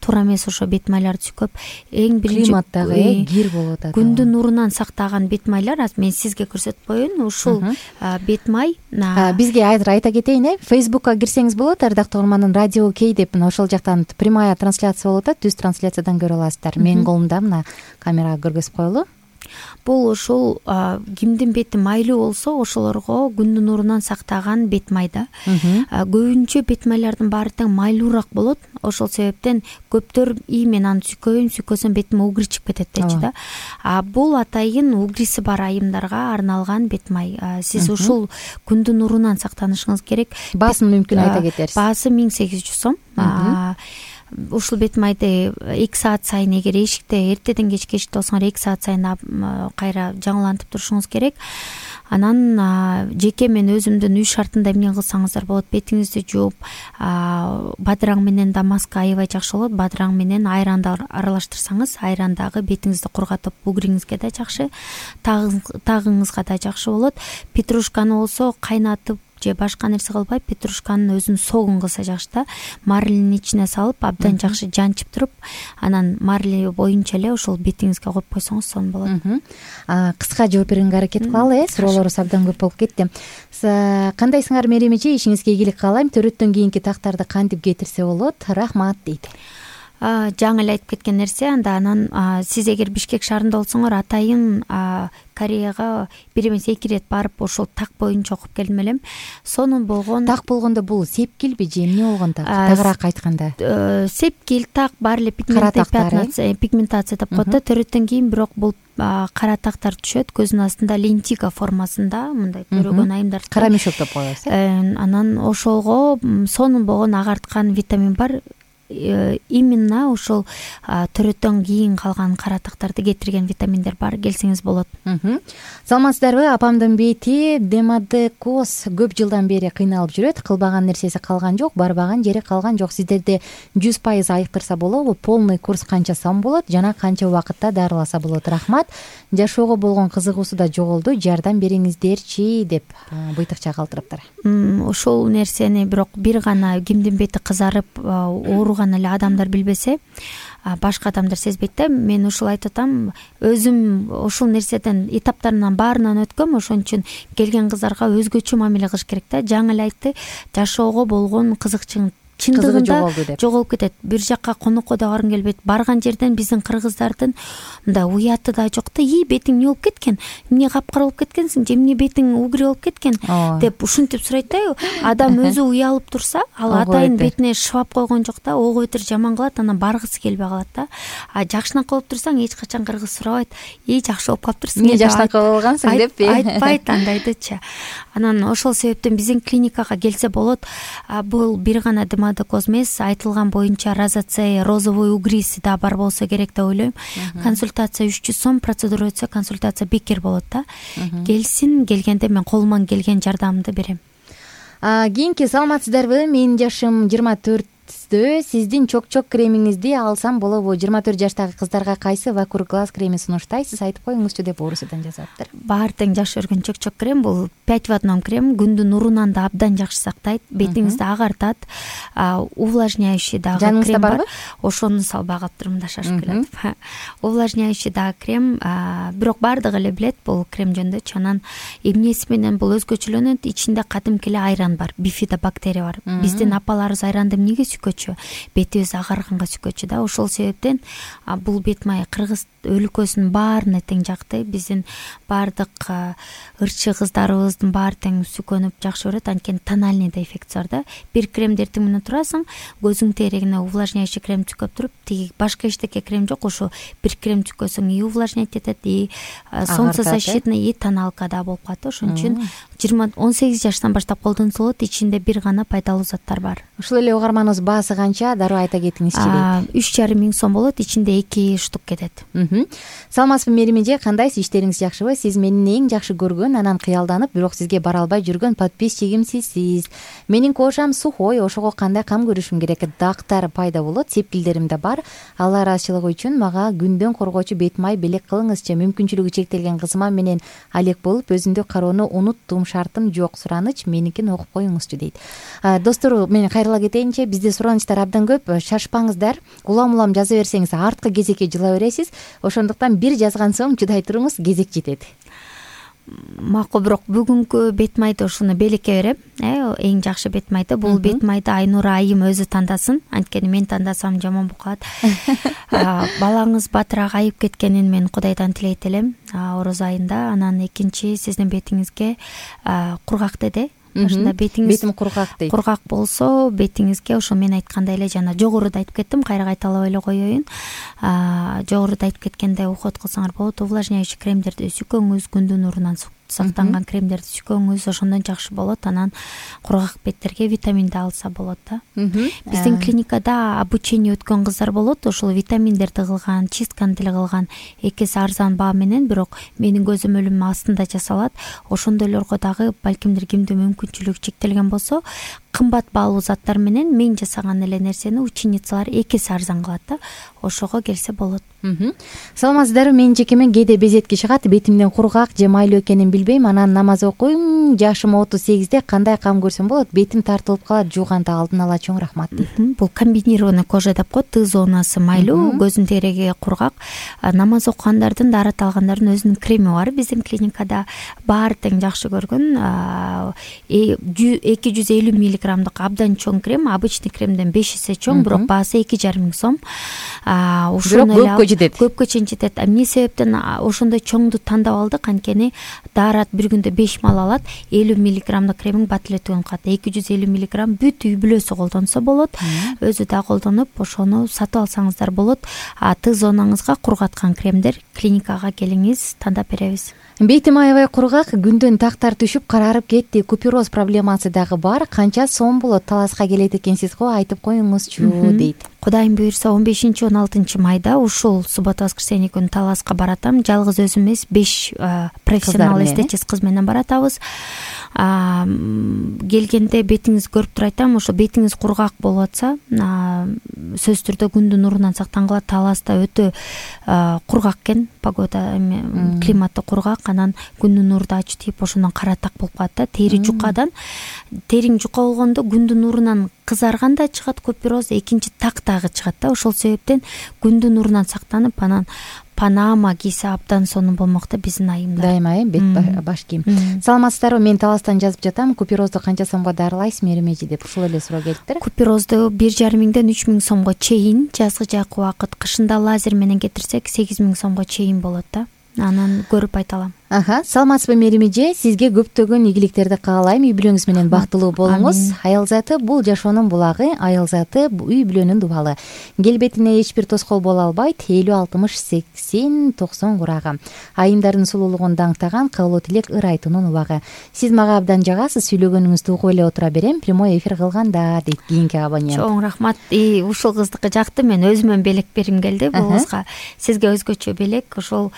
туура эмес ошо бет майларды сүкөп, эң биринчи климаттагы кир болуп атат. Күндүн нурунан сактаган бет майлар, азыр мен сизге көрсөтүп коеюн. Ушул бет май бизге айта кетейин, э, Facebookка кирсеңиз болот. Ардактуу угарман, радио кей деп ошол жактан прямая трансляция болуп атат. Түз трансляциядан көрө аласыздар. Менин колумда мына камерага көргөзүп коелу. бул ушул кимдин бети майлуу болсо ошолорго күндүн нурунан сактаган бет май да. Көбүнчө бет майлардын баары тең майлуураак болот. Ошол себептен көптөр ий мен аны сүйкөйм, сүйкөсөм бетиме угри чыгып кетет дейчи да. А бул атайын угриси бар айымдарга арналган бет май. Сиз ушул күндүн нурунан сактанышыңыз керек. Баасын мүмкүн айта кетерсиз. Баасы миң сегиз жүз сом. Ушул бет майды эки саат сайын, эгер эшикте эртеден кечке эшикте болсоңор эки саат сайын кайра жаңылантып турушуңуз керек. Анан жеке мен өзүмдүн үй шартында эмне кылсаңыздар болот: бетиңизди жууп, бадыраң менен да маска аябай жакшы болот. Бадыраң менен айранды аралаштырсаңыз, айрандагы бетиңизди кургатып, угриңизге да жакшы, тагыңызга да жакшы болот. Петрушканы болсо кайнатып же башка нерсе кылбай, петрушканын өзүн согун кылса жакшы да. Марлинин ичине салып, абдан жакшы жанчып туруп, анан марли боюнча эле ошол бетиңизге коюп койсоңуз сонун болот. Кыска жооп бергенге аракет кылалы, э суроолорубуз абдан көп болуп кетти. Кандайсыңар Мерим эже? Ишиңизге ийгилик каалайм. Төрөттөн кийинки тактарды кантип кетирсе болот? Рахмат дейт. Жаңы эле айтып кеткен нерсе. Анда анан сиз эгер Бишкек шаарында болсоңор, атайын Кореяга бир эмес эки ирет барып ошол так боюнча окуп келдим элем. Сонун болгон. Так болгондо бул сепкилби же эмне болгон так? Тагыраак айтканда. Сепкил, так, баары эле пигментация деп коет да. Төрөттөн кийин бирок бул кара тактар түшөт, көздүн астында лентига формасында, мындай көрөгөн айымдар. Кара мешок деп коебуз. Анан ошолго сонун болгон агарткан витамин бар. Именно ошол төрөттөн кийин калган кара тактарды кетирген витаминдер бар. Келсеңиз болот. Саламатсыздарбы? Апамдын бети демодекоз көп жылдан бери кыйналып жүрөт. Кылбаган нерсеси калган жок, барбаган жери калган жок. Сиздерде жүз пайыз айыктырса болобу? Полный курс канча сом болот жана канча убакытта дарыласа болот? Рахмат. Жашоого болгон кызыгуусу да жоголду. Жардам бериңиздерчи деп быйтыкча калтырыптыр. Ошол нерсени бирок бир гана кимдин бети кызарып ооруган эле адамдар билбесе, башка адамдар сезбейт да. Мен ушул айтып атам, өзүм ошол нерседен этаптарынан баарынан өткөм. Ошон үчүн келген кыздарга өзгөчө мамиле кылыш керек да. Жаңы эле айтты, жашоого болгон кызыкчылык чындыгында жоголуп кетет. Бир жакка конокко да баргым келбейт. Барган жерден биздин кыргыздардын мындай уяты да жок да. И бетиң эмне болуп кеткен? Эмне капкара болуп кеткенсиң? Же эмне бетиң угри болуп кеткен? деп ушинтип сурайт да. Адам өзү уялып турса, ал атайын бетине шыбап койгон жок да. Ого бетер жаман кылат, анан баргысы келбей калат да. А жакшынакы болуп турсаң, эч качан кыргыз сурабайт: "И, жакшы болуп калыптырсың, эмне жакшынакы болгансың?" деппи. Айтпайт андайдычы. Анан ошол себептен биздин клиникага келсе болот. Бул бир гана демодекоз эмес, айтылган боюнча розоцея, розовый угриси да бар болсо керек деп ойлойм. Консультация үч жүз сом, процедура өтсө консультация бекер болот да. Келсин, келгенде мен колуман келген жардамымды берем. Кийинки саламатсыздарбы? Менин жашым жыйырма төрттө. Сиздин чок-чок кремиңизди алсам болобу? жыйырма төрт жаштагы кыздарга кайсы вакур глаз кремин сунуштайсыз? Айтып коюңузчу деп орусудан жазаптыр. Баары тең жакшы көргөн чок-чок крем бул пять в одном крем. Күндүн нурунан да абдан жакшы сактайт, бетиңизди агартат. Увлажняющий дагы крем бар. Ошону салбай калыптырмын да, шашып келет. Увлажняющий дагы крем, бирок баардыгы эле билет бул крем жөнүндө. Анан эмнеси менен бул өзгөчөлөнөт? Ичинде кадимки эле айран бар, бифидобактерия бар. Биздин апаларыбыз айранды эмнеге сүйкөчү? Бетибиз агарганга сүйкөчү да. Ошол себептен бул бет май кыргыз өлкөсүнүн баарына тең жакты. Биздин баардык ырчы кыздарыбыздын баары тең сүйкөнүп жакшы көрөт. Анткени тональныйда эффекти бар да. Бир кремди эртең менен турасың, көзүң терегине увлажняющий крем түкөп туруп, тиги башка эчтеке крем жок. Ошо бир крем түкөсөң и увлажнять этет, и солнцезащитный, и тоналка да болуп калат. Ошон үчүн жыйырма он сегиз жаштан баштап колдонсо болот. Ичинде бир гана пайдалуу заттар бар. Ушул эле угарманыбыз баасы канча? Дароо айта кетиңизчи дейт. үч жарым миң сом болот. Ичинде эки штук кетет. Саламатсызбы Мерим эже? Кандайсыз? Иштериңиз жакшыбы? Сиз менин эң жакшы көргөн, анан кыялданып, бирок сизге бара албай жүргөн подписчигимсиз. Менин кошам сухой, ошого кандай кам көрүшүм керек? Дактар пайда болот, сепкилдерим да бар. Алла ыраазычылыгы үчүн мага күндөн коргоочу бет май белек кылыңызчы. Мүмкүнчүлүгү чектелген кызыма менен алек болуп, өзүмдү кароону унуттум, шартым жок. Сураныч меникин окуп коюңузчу дейт. Достор, мен кайрыла кетейинчи, бизде суранычтар абдан көп. Шашпаңыздар. Улам-улам жаза берсеңиз арткы кезекке жыла бересиз. Ошондуктан бир жазган соң чыдай туруңуз, кезек жетет. макул, бирок бүгүнкү бет майды ушуну белекке берем. Э эң жакшы бет майды бул бет майды Айнура айым өзү тандасын, анткени мен тандасам жаман болуп калат. Балаңыз батыраак айып кеткенин мен Кудайдан тилейт элем ороз айында. Анан экинчи, сиздин бетиңизге кургак деди. Ошондо бетиңиз бетим кургак дейт. Кургак болсо бетиңизге ошо мен айткандай эле жана жогоруда айтып кеттим, кайра кайталап эле коеюн. Жогоруда айтып кеткенде уход кылсаңар болот. Увлажняющий кремдерди сүкөңүз, күндүн нурунан сактанган кремдерди сүкөңүз, ошондон жакшы болот. Анан кургак беттерге витаминди алса болот да. Биздин клиникада обучение өткөн кыздар болот. Ошол витаминдерди кылган, чистканы деле кылган, экиси арзан баа менен, бирок менин көзөмөлүм астында жасалат. Ошондойлорго дагы балкимдир кимде мүмкүнчүлүгү чектелген болсо, кымбат баалуу заттар менен мен жасаган эле нерсени ученицалар экиси арзан кылат да. Ошого келсе болот. Саламатсыздарбы? Менин жекеме кээде безетки чыгат, бетимден кургак же майлуу экенин билбейм. Анан намаз окуйм, жашым отуз сегизде, кандай кам көрсөм болот? Бетим тартылып калат, жууганда алдын ала чоң рахмат дейт. Бул комбинированный кожа деп коет. Т зонасы майлуу, көздүн тереги кургак. Намаз окугандардын, даарат алгандардын өзүнүн креми бар. Биздин клиникада баары тең жакшы көргөн эки жүз элүү миллиграммдык абдан чоң крем, обычный кремден беш эсе чоң, бирок баасы эки жарым миң сом. Бирок көпкө жетет. Көпкө чейин жетет. Эмне себептен ошондой чоңду тандап алдык? Анткени даарат бир күндө беш мал алат. элүү миллиграммдык кремиң бат эле түгөнүп калат. эки жүз элүү миллиграмм бүт үй бүлөсү колдонсо болот. Өзү да колдонуп, ошону сатып алсаңыздар болот. Т зонаңызга кургаткан кремдер, клиникага келиңиз, тандап беребиз. Бетим аябай кургак, күндөн тактар түшүп карарып кетти. Купероз проблемасы дагы бар. Канча сом болот? Таласка келет экенсиз го, айтып коюңузчу дейт. Кудайым буйрса он бешинчи он алтынчы майда ушул суббота воскресенье күнү Таласка баратам. Жалгыз өзүм эмес, беш профессионал эстетист кыз менен баратабыз. Келгенде бетиңизди көрүп туруп айтам, ошо бетиңиз кургак болуп атса, сөзсүз түрдө күндүн нурунан сактангыла. Таласта өтө кургак экен, погода, климаты кургак, анан күндүн нурда ач тийип, ошондон кара так болуп калат да. Тери жукадан, териң жука болгондо күндүн нурунан кызарган да чыгат купероз, экинчи так дагы чыгат да. Ошол себептен күндүн нурунан сактанып, анан панама кийсе абдан сонун болмок да биздин айымдар. Дайыма э бет баш кийим. Саламатсыздарбы? Мен Таластан жазып жатам. Куперозду канча сомго дарылайсыз, Меримежи деп ушул эле суроо келиптир. Куперозду бир жарым миңден үч миң сомго чейин, жазгы жакы убакыт, кышында лазер менен кетирсек сегиз миң сомго чейин болот да. Анан көрүп айта алам. Аха, саламатсызбы Меримеже? Сизге көптөгөн ийгиликтерди каалайм. Үй бүлөңүз менен бактылуу болуңуз. Аял заты бул жашоонун булагы, аял заты үй бүлөнүн дубалы. Келбетине эч бир тоскоол боло албайт. элүү, алтымыш, сексен, токсон курагы. Айымдардын сулуулугун даңктаган кылуу тилек ыр айтуунун убагы. Сиз мага абдан жагасыз, сүйлөгөнүңүздү угуп эле отура берем. Прямой эфир кылганда дейт кийинки абонент. Чоң рахмат. И ушул кыздыкы жакты. Мен өзүмөн белек бергим келди бул кызга. Сизге өзгөчө белек, ошол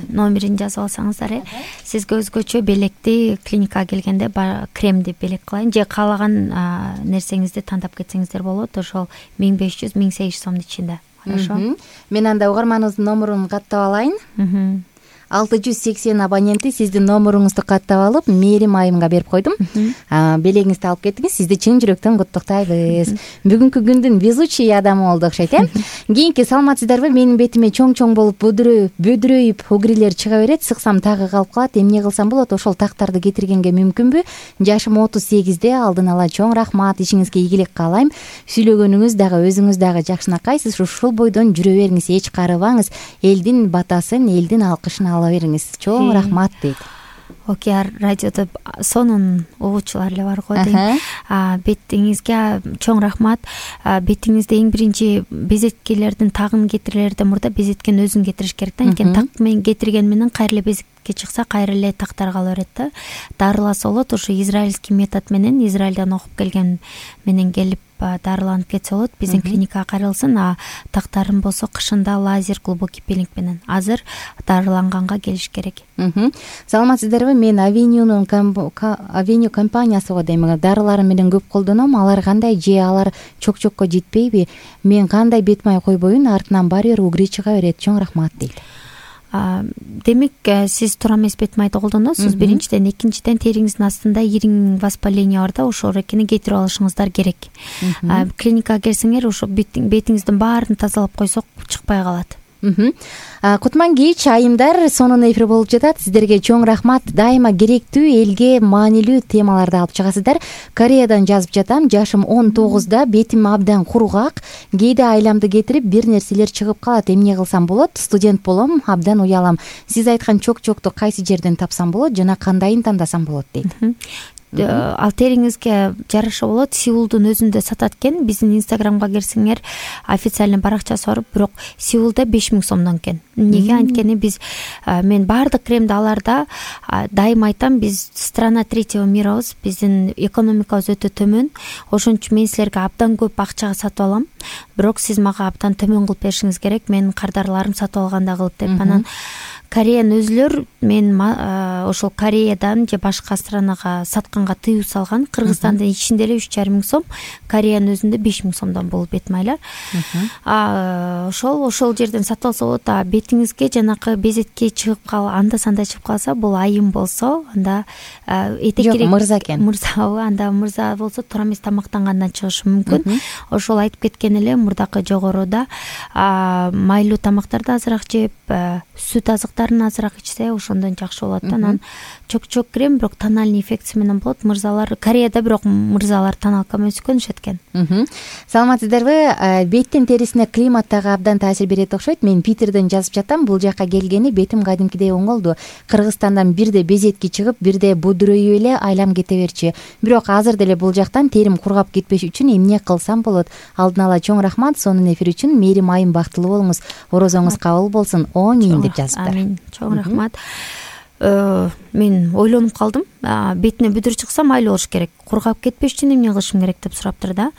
номерин жазып алсаңыздар, э сизге өзгөчө белекти клиникага келгенде кремди белек кылайын, же каалаган нерсеңизди тандап кетсеңиздер болот. Ошол миң беш жүз миң сегиз жүз сомдун ичинде. Хорошо. Мен анда угарманыбыздын номерун каттап алайын. алты жүз сексен абоненти сиздин номеруңузду каттап алып, Мерим айымга берип койдум. Белегиңизди алып кеттиңиз. Сизди чын жүрөктөн куттуктайбыз. Бүгүнкү күндүн везучий адамы болду окшойт, э? Кийинки саламатсыздарбы? Менин бетиме чоң-чоң болуп бөдүрөйүп, бөдүрөйүп, угрилер чыга берет. Сыксам тагы калып калат. Эмне кылсам болот? Ошол тактарды кетиргенге мүмкүнбү? Жашым отуз сегизде, алдын ала чоң рахмат. Ишиңизге ийгилик каалайм. Сүйлөгөнүңүз дагы, өзүңүз дагы жакшынакайсыз. Ушул бойдон жүрө бериңиз, эч карыбаңыз. Элдин батасын, элдин алкышын ала бериңиз. Чоң рахмат дейт. Окей, радиодо сонун угуучулар эле бар го дейм. Бетиңизге чоң рахмат. Бетиңизде эң биринчи безеткелердин тагын кетирилерден мурда безеткени өзүн кетириш керек да. Анткени так менен кетирген менен кайра эле безетке чыкса, кайра эле тактар кала берет да. Дарыласа болот. Ошо израильский метод менен, Израилден окуп келген менен келип дарыланып кетсе болот. Биздин клиникага кайрылсын. А тактарын болсо кышында лазер, глубокий пилинг менен. Азыр дарыланганга келиш керек. Саламатсыздарбы? Мен Авенюнун Авеню компаниясыга дейм. Дарылары менен көп колдоном. Алар кандай, же алар чок-чокко жетпейби? Мен кандай бет май койбоюн, артынан баары бир угри чыга берет. Чоң рахмат дейт. Демек, сиз туура эмес бет майды колдоносуз. Биринчиден, экинчиден териңиздин астында ириң воспаление бар да, ошол эркени кетирип алышыңыздар керек. Клиникага келсеңер, ошо бетиңиздин баарын тазалап койсок чыкпай калат. Кутман кеч айымдар сонун эфир болуп жатат. Сиздерге чоң рахмат. Дайыма керектүү, элге маанилүү темаларды алып чыгасыздар. Кореядан жазып жатам. Жашым он тогузда, бетим абдан кургак. Кээде айламды кетирип бир нерселер чыгып калат. Эмне кылсам болот? Студент болом, абдан уялам. Сиз айткан чок-чокту кайсы жерден тапсам болот жана кандайын тандасам болот дейт. Ал териңизге жараша болот. Сеулдун өзүндө сатат экен. Биздин инстаграмга кирсеңер официальный баракчасы бар, бирок Сеулда беш миң сомдон экен. Эмнеге? Анткени биз мен баардык кремди аларда дайыма айтам, биз страна третьего мирабыз. Биздин экономикабыз өтө төмөн. Ошон үчүн мен силерге абдан көп акчага сатып алам. Бирок сиз мага абдан төмөн кылып беришиңиз керек. Менин кардарларым сатып алганда кылып деп. Анан Кореян өзүлөр мен ошол Кореядан же башка странага сатканга тыюу салган. Кыргызстандын ичинде эле үч жарым миң сом, Кореянын өзүндө беш миң сомдон болуп бет майлар. Ошол ошол жерден сатып алса болот. А бетиңизге жанакы безетке чыгып кал, анда санда чыгып калса, бул айым болсо, анда эте керек. Жок, мырза экен. Мырзабы, анда мырза болсо туура эмес тамактангандан чыгышы мүмкүн. Ошол айтып кеткен эле мурдакы жогоруда майлуу тамактарды азыраак жеп, сүт азыктарын азыраак ичсе, ошондон жакшы болот. Анан чок-чок крем, бирок тональный эффекти менен болот. Мырзалар Кореяда бирок мырзалар тоналка менен сүкөнүшөт экен. Саламатсыздарбы? Беттин терисине климат дагы абдан таасир берет окшойт. Мен Питерден жазып жатам. Бул жакка келгени бетим кадимкидей оңолду. Кыргызстандан бирде безетки чыгып, бирде будурөйүп эле айлам кете берчи. Бирок азыр деле бул жактан терим кургап кетпеш үчүн эмне кылсам болот? Алдын ала чоң рахмат. Сонун эфир үчүн. Мээрим айым бактылуу болуңуз. Орозоңуз кабыл болсун. Амин деп жазыптыр. Амин. Чоң рахмат. Мен ойлонуп калдым. Бетине бүдүр чыкса майлуу болуш керек. Кургап кетпеш үчүн эмне кылышым керек деп сураптыр да.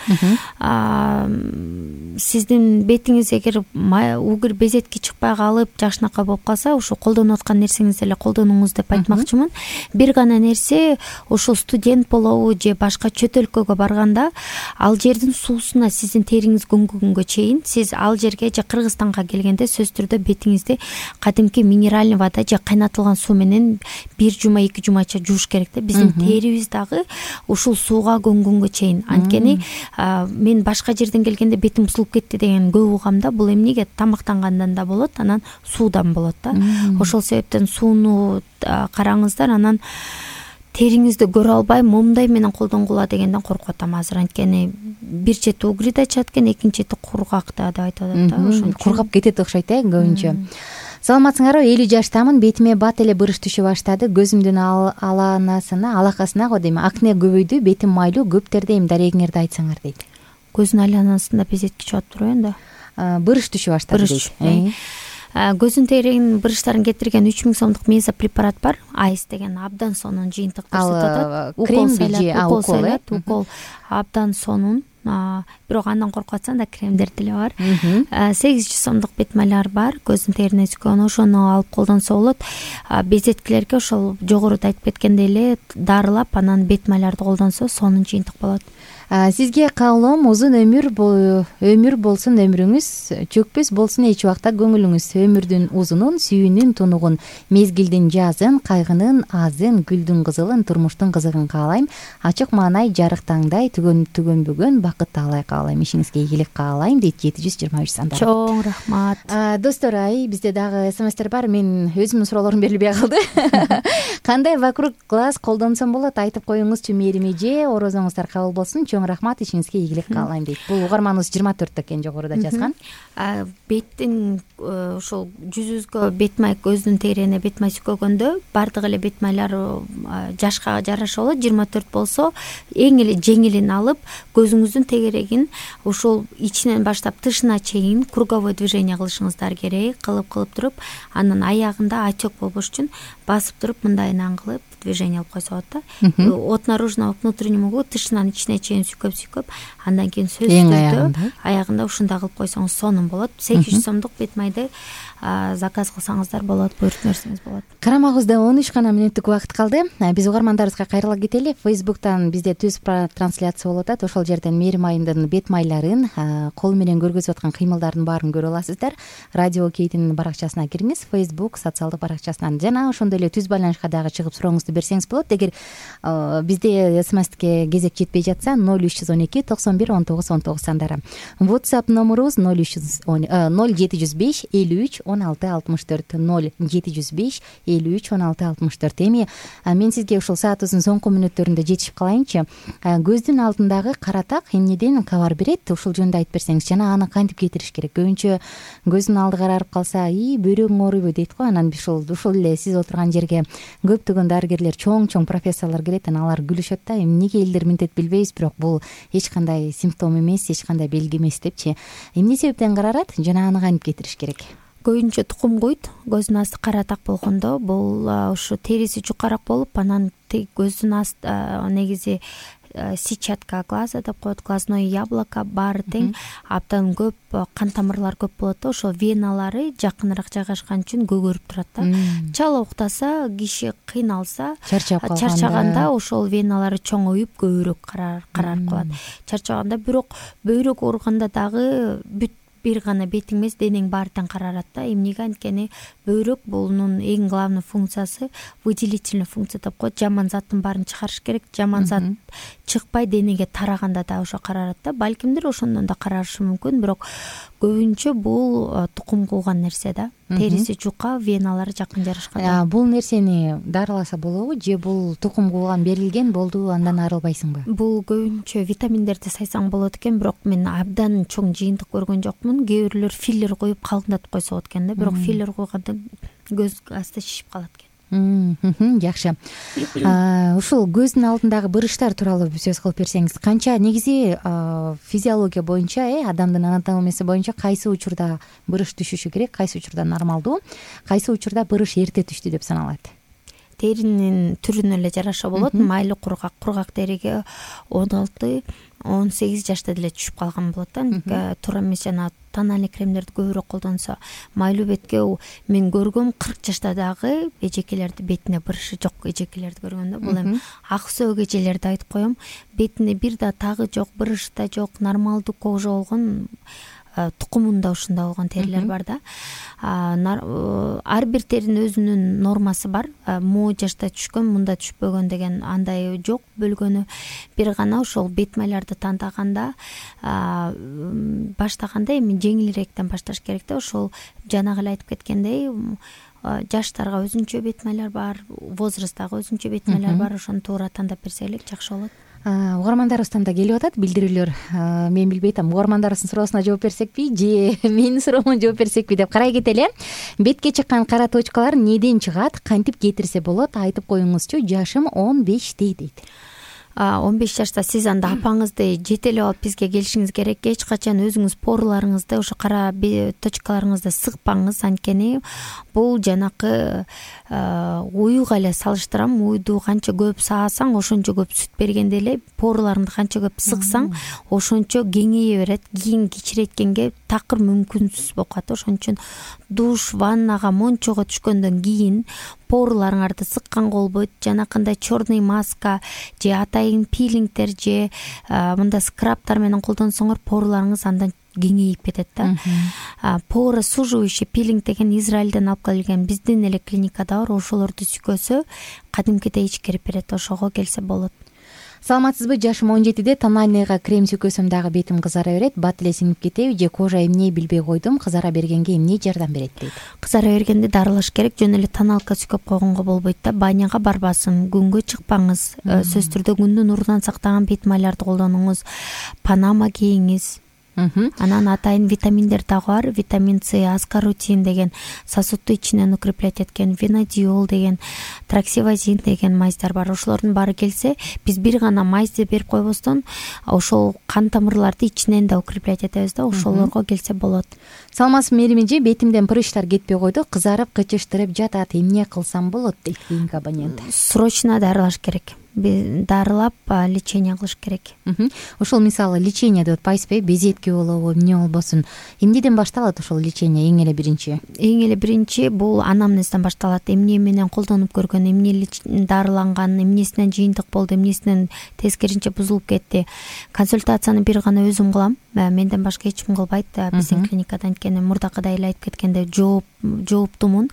Сиздин бетиңиз эгер угур безетки чыкпай калып, жакшынакай болуп калса, ошо колдонуп аткан нерсеңизди эле колдонуңуз деп айтмакчымын. Бир гана нерсе, ошол студент болобу же башка чөт өлкөгө барганда, ал жердин суусуна сиздин териңиз көнгөнгөнгө чейин, сиз ал жерге же Кыргызстанга келгенде сөзсүз түрдө бетиңизди кадимки минеральный вода же кайнатылган суу менен бир жума, эки жумача жууш керек да. Биздин терибиз дагы ушул сууга көнгөнгө чейин. Анткени мен башка жерден келгенде бетим бузулуп кетти деген көп угам да. Бул эмнеге? Тамактангандан да болот, анан суудан болот да. Ошол себептен сууну караңыздар. Анан териңизди көрө албай момдай менен колдонгула дегенден коркуп атам азыр. Анткени бир чети угрит ачат экен, экинчи чети кургак да деп айтып атат да. Ошон кургап кетет окшойт э көбүнчө. Саламатсыңарбы? элүү жаштамын. Бетиме бат эле бырыш түшө баштады. Көзүмдүн аланасына, алакасына го дейм, акне көбөйдү. Бетим майлуу, көп тердейм. Дарегиңерди айтсаңар дейт. Көзүнүн айланасында безетки чыгат турбайбы энди? Бырыш түшө баштады дейт. Көзүн теринин бырыштарын кетирген үч миң сомдук мезопрепарат бар. Айс деген абдан сонун жыйынтык көрсөтөт. Крем же укол э? Укол абдан сонун. Бирок андан коркуп атсаң да кремдер деле бар. сегиз жүз сомдук бет майлар бар. Көзүн терине сүккөн, ошону алып колдонсо болот. Безеткилерге ошол жогоруда айтып кеткендей эле дарылап, анан бет майларды колдонсо сонун жыйынтык болот. Сизге каалоом узун өмүр өмүр болсун өмүрүңүз, чөкпөс болсун эч убакта көңүлүңүз. Өмүрдүн узунун, сүйүүнүн тунугун, мезгилдин жазын, кайгынын азын, гүлдүн кызылын, турмуштун кызыгын каалайм. Ачык маанай, жарык таңдай, түгөн түгөнбөгөн бакыт таалай каалайм. Ишиңизге ийгилик каалайм дейт жети жүз жыйырма үч санда. Чоң рахмат. Достор, ай бизде дагы смстер бар. Мен өзүмдүн суроолорум берилбей калды. Кандай вокруг глаз колдонсом болот? Айтып коюңузчу Мээрим эже. Орозоңуздар кабыл болсун. Рахмат, ишиңизге ийгилик каалайм дейт. Бул угарманыбыз жыйырма төрттө экен, жогоруда жазган. Беттин ошол жүзүбүзгө бет май, көздүн терине бет май сүккөнгөндө баардык эле бет майлар жашка жараша болот. жыйырма төрт болсо эң эле жеңилин алып, көзүңүздүн тегерегин ошол ичинен баштап тышына чейин круговой движение кылышыңыздар керек. Кылып кылып туруп, анан аягында отек болбош үчүн басып туруп мындайынан кылып движение алып койсо болот да. От наружного к внутреннему, тышынан ичине чейин сүкөп-сүкөп, андан кийин сөзсүз түрдө аягында ушундай кылып койсоңуз сонун болот. сегиз жүз сомдук бет майды заказ кылсаңыздар болот, буйруп берсеңиз болот. Карамагыбызда он үч гана мүнөттүк убакыт калды. Биз угармандарыбызга кайрыла кетели. Фейсбуктан бизде түз трансляция болуп атат. Ошол жерден Мээрим айымдын бет майларын, кол менен көргөзүп аткан кыймылдардын баарын көрө аласыздар. Радио Кейтин баракчасына кириңиз, Facebook социалдык баракчасынан, жана ошондой эле түз байланышка дагы чыгып сурооңузду смсту берсеңиз болот. Эгер бизде смстке кезек жетпей жатса ноль үч жүз он эки токсон бир он тогуз он тогуз сандары. WhatsApp номерубуз ноль үч жүз ноль жети жүз беш элүү үч он алты алтымыш төрт ноль жети жүз беш элүү үч он алты алтымыш төрт. Эми мен сизге ушул саатыбыздын соңку мүнөттөрүндө жетишип калайынчы. Көздүн алдындагы кара так эмнеден кабар берет? Ушул жөнүндө айтып берсеңиз, жана аны кантип кетириш керек? Көбүнчө көздүн алды карарып калса, и бөйрөгүң ооруйбу дейт го. Анан ушул ушул эле сиз отурган жерге көптөгөн дарыгерлер, чоң-чоң профессорлор келет, анан алар күлүшөт да, эмнеге элдер мынтет билбейбиз, бирок бул эч кандай симптом эмес, эч кандай белги эмес депчи. Эмне себептен карарат жана аны кантип кетириш керек? Көбүнчө тукум куйт, көздүн асты кара так болгондо бул ушу териси жукараак болуп, анан көздүн асты негизи сетчатка глаза деп коет, глазное яблоко баары тең, абдан көп кан тамырлар көп болот да, ошол веналары жакыныраак жайгашкан үчүн көгөрүп турат да. Чала уктаса, киши кыйналса, чарчаганда ошол веналары чоңоюп көбүрөөк карарып калат. Чарчаганда, бирок бөйрөк ооруганда дагы бүт бир гана бетиң эмес, денең баары тең карарат да. Эмнеге? Анткени бөйрөк булунун эң главный функциясы выделительный функция деп коет. Жаман заттын баарын чыгарыш керек. Жаман зат чыкпай денеге тараганда да ошо карарат да. Балкимдир ошондон да карашы мүмкүн, бирок көбүнчө бул тукум кууган нерсе да. Териси жука, веналары жакын жарашкан. Бул нерсени дарыласа болобу же бул тукум кууган берилген болду, андан арылбайсыңбы? Бул көбүнчө витаминдерди сайсаң болот экен, бирок мен абдан чоң жыйынтык көргөн жокмун. Кээ бирлер филлер коюп калкындатып койсо болот экен да, бирок филлер койгондо көз асты шишип калат экен. Жакшы. Ушул көздүн алдындагы бырыштар тууралуу сөз кылып берсеңиз, канча негизи физиология боюнча, э адамдын анатомиясы боюнча кайсы учурда бырыш түшүшү керек, кайсы учурда нормалдуу, кайсы учурда бырыш эрте түштү деп саналат? Теринин түрүнө эле жараша болот. Майлы кургак, кургак териге он алты он сегиз жашта деле түшүп калган болот да. Туура эмес, жана тональный кремдерди көбүрөөк колдонсо. Майлуу бетке мен көргөм кырк жашта дагы эжекелерди бетине бырышы жок эжекелерди көргөндө. Бул эми ак сөөк эжелерди айтып коем. Бетине бир да тагы жок, бырыш да жок, нормалдуу кожа болгон, тукумунда ушундай болгон терилер бар да. Ар бир теринин өзүнүн нормасы бар. Могу жашта түшкөн, мында түшпөгөн деген андай жок бөлгөнү. Бир гана ошол бет майларды тандаганда, баштаганда эми жеңилирээктен башташ керек да. Ошол жанагы эле айтып кеткендей, жаштарга өзүнчө бет майлар бар, возрасттагы өзүнчө бет майлар бар. Ошону туура тандап берсе элек жакшы болот. Угармандарыбыздан да келип атат билдирүүлөр. Мен билбей атам, угармандарыбыздын суроосуна жооп берсекпи же менин суроомо жооп берсекпи деп карай кетели. Бетке чыккан кара точкалар неден чыгат, кантип кетирсе болот, айтып коюңузчу. Жашым он беште дейт. он беш жашта сиз анда апаңызды жетелеп алып бизге келишиңиз керек. Эч качан өзүңүз поруларыңызды, ошо кара точкаларыңызды сыкпаңыз, анткени бул жанакы уюга эле салыштырам. Уйду канча көп саасаң, ошончо көп сүт бергенде эле поруларыңды канча көп сыксаң, ошончо кеңейе берет. Кийин кичирейткенге такыр мүмкүнсүз болуп калат. Ошон үчүн душ, ваннага, мончого түшкөндөн кийин поруларыңарды сыкканга болбойт. Жанакындай черный маска же атайын пилингтер же мында скрабтар менен колдонсоңор поруларыңыз андан кеңейип кетет да. Поросуживающий пилинг деген Израилден алып келген, биздин эле клиникада бар. Ошолорду сүкөсө кадимкидей ичкирип берет. Ошого келсе болот. Саламатсызбы? Жашым он жетиде, тональныйга крем сүкөсөм дагы бетим кызара берет. Бат эле сиңип кетеби же кожа эмне билбей койдум, кызара бергенге эмне жардам берет дейт. Кызара бергенде дарылаш керек. Жөн эле тоналка сүкөп койгонго болбойт да. Баняга барбасын, күнгө чыкпаңыз. Сөзсүз түрдө күндүн нурунан сактаган бет майларды колдонуңуз. Панама кийиңиз. Анан атайын витаминдер дагы бар. Витамин С, аскорутин деген, сосудду ичинен укреплять эткен, венадиол деген, траксивазин деген майздар бар. Ошолордун баары келсе, биз бир гана майзды берип койбостон, ошол кан тамырларды ичинен да укреплять этебиз да. Ошолорго келсе болот. Саламатсызбы мерими же? Бетимден прыщтар кетпей койду, кызарып, кычыштырып жатат. Эмне кылсам болот дейт кийинки абонент. Срочно дарылаш керек. Дарылап лечение кылыш керек. Ошол мисалы лечение деп атпайсызбы? Безетке болобу, эмне болбосун. Эмнеден башталат ошол лечение? Эң эле биринчи. Эң эле биринчи бул анамнезден башталат. Эмне менен колдонуп көргөн, эмне дарыланган, эмнесинен жыйынтык болду, эмнесинен тескеринче бузулуп кетти. Консультацияны бир гана өзүм кылам. Менден башка эч ким кылбайт биздин клиникада, анткени мурдакыдай эле айтып кеткенде жооп жооптумун.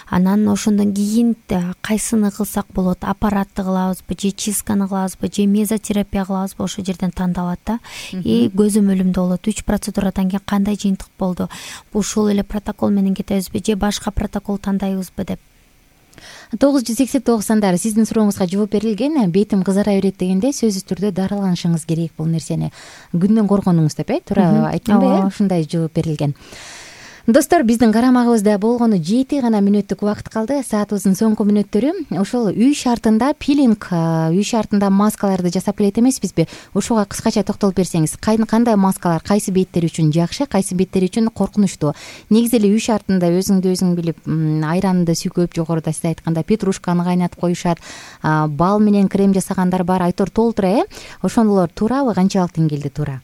анан ошондон кийин кайсыны кылсак болот, аппаратты кылабызбы же чистканы кылабызбы же мезотерапия кылабызбы, ошол жерден тандалат да. И көзөмөлүмдө болот үч процедурадан кийин кандай жыйынтык болду, ушул эле протокол менен кетебизби же башка протокол тандайбызбы деп. тогуз жүз сексен тогуз сандары сиздин сурооңузга жооп берилген. Бетим кызара берет дегенде сөзсүз түрдө дарыланышыңыз керек бул нерсени күндөн коргонуңуз деп, э туура айттымбы? Э ушундай жооп берилген. Достор, биздин карамагыбызда болгону жети гана мүнөттүк убакыт калды. Саатыбыздын соңку мүнөттөрү. Ошол үй шартында пилинг, үй шартында маскаларды жасап келет эмеспизби? Ошого кыскача токтолуп берсеңиз, кандай маскалар кайсы беттер үчүн жакшы, кайсы беттер үчүн коркунучтуу? Негизи эле үй шартында өзүңдү өзүң билип, айранды сүйкөп, жогоруда сиз айткандай петрушканы кайнатып коюшат, бал менен крем жасагандар бар, айтор толтура, э? Ошондолор туурабы, канчалык деңгээлде туура?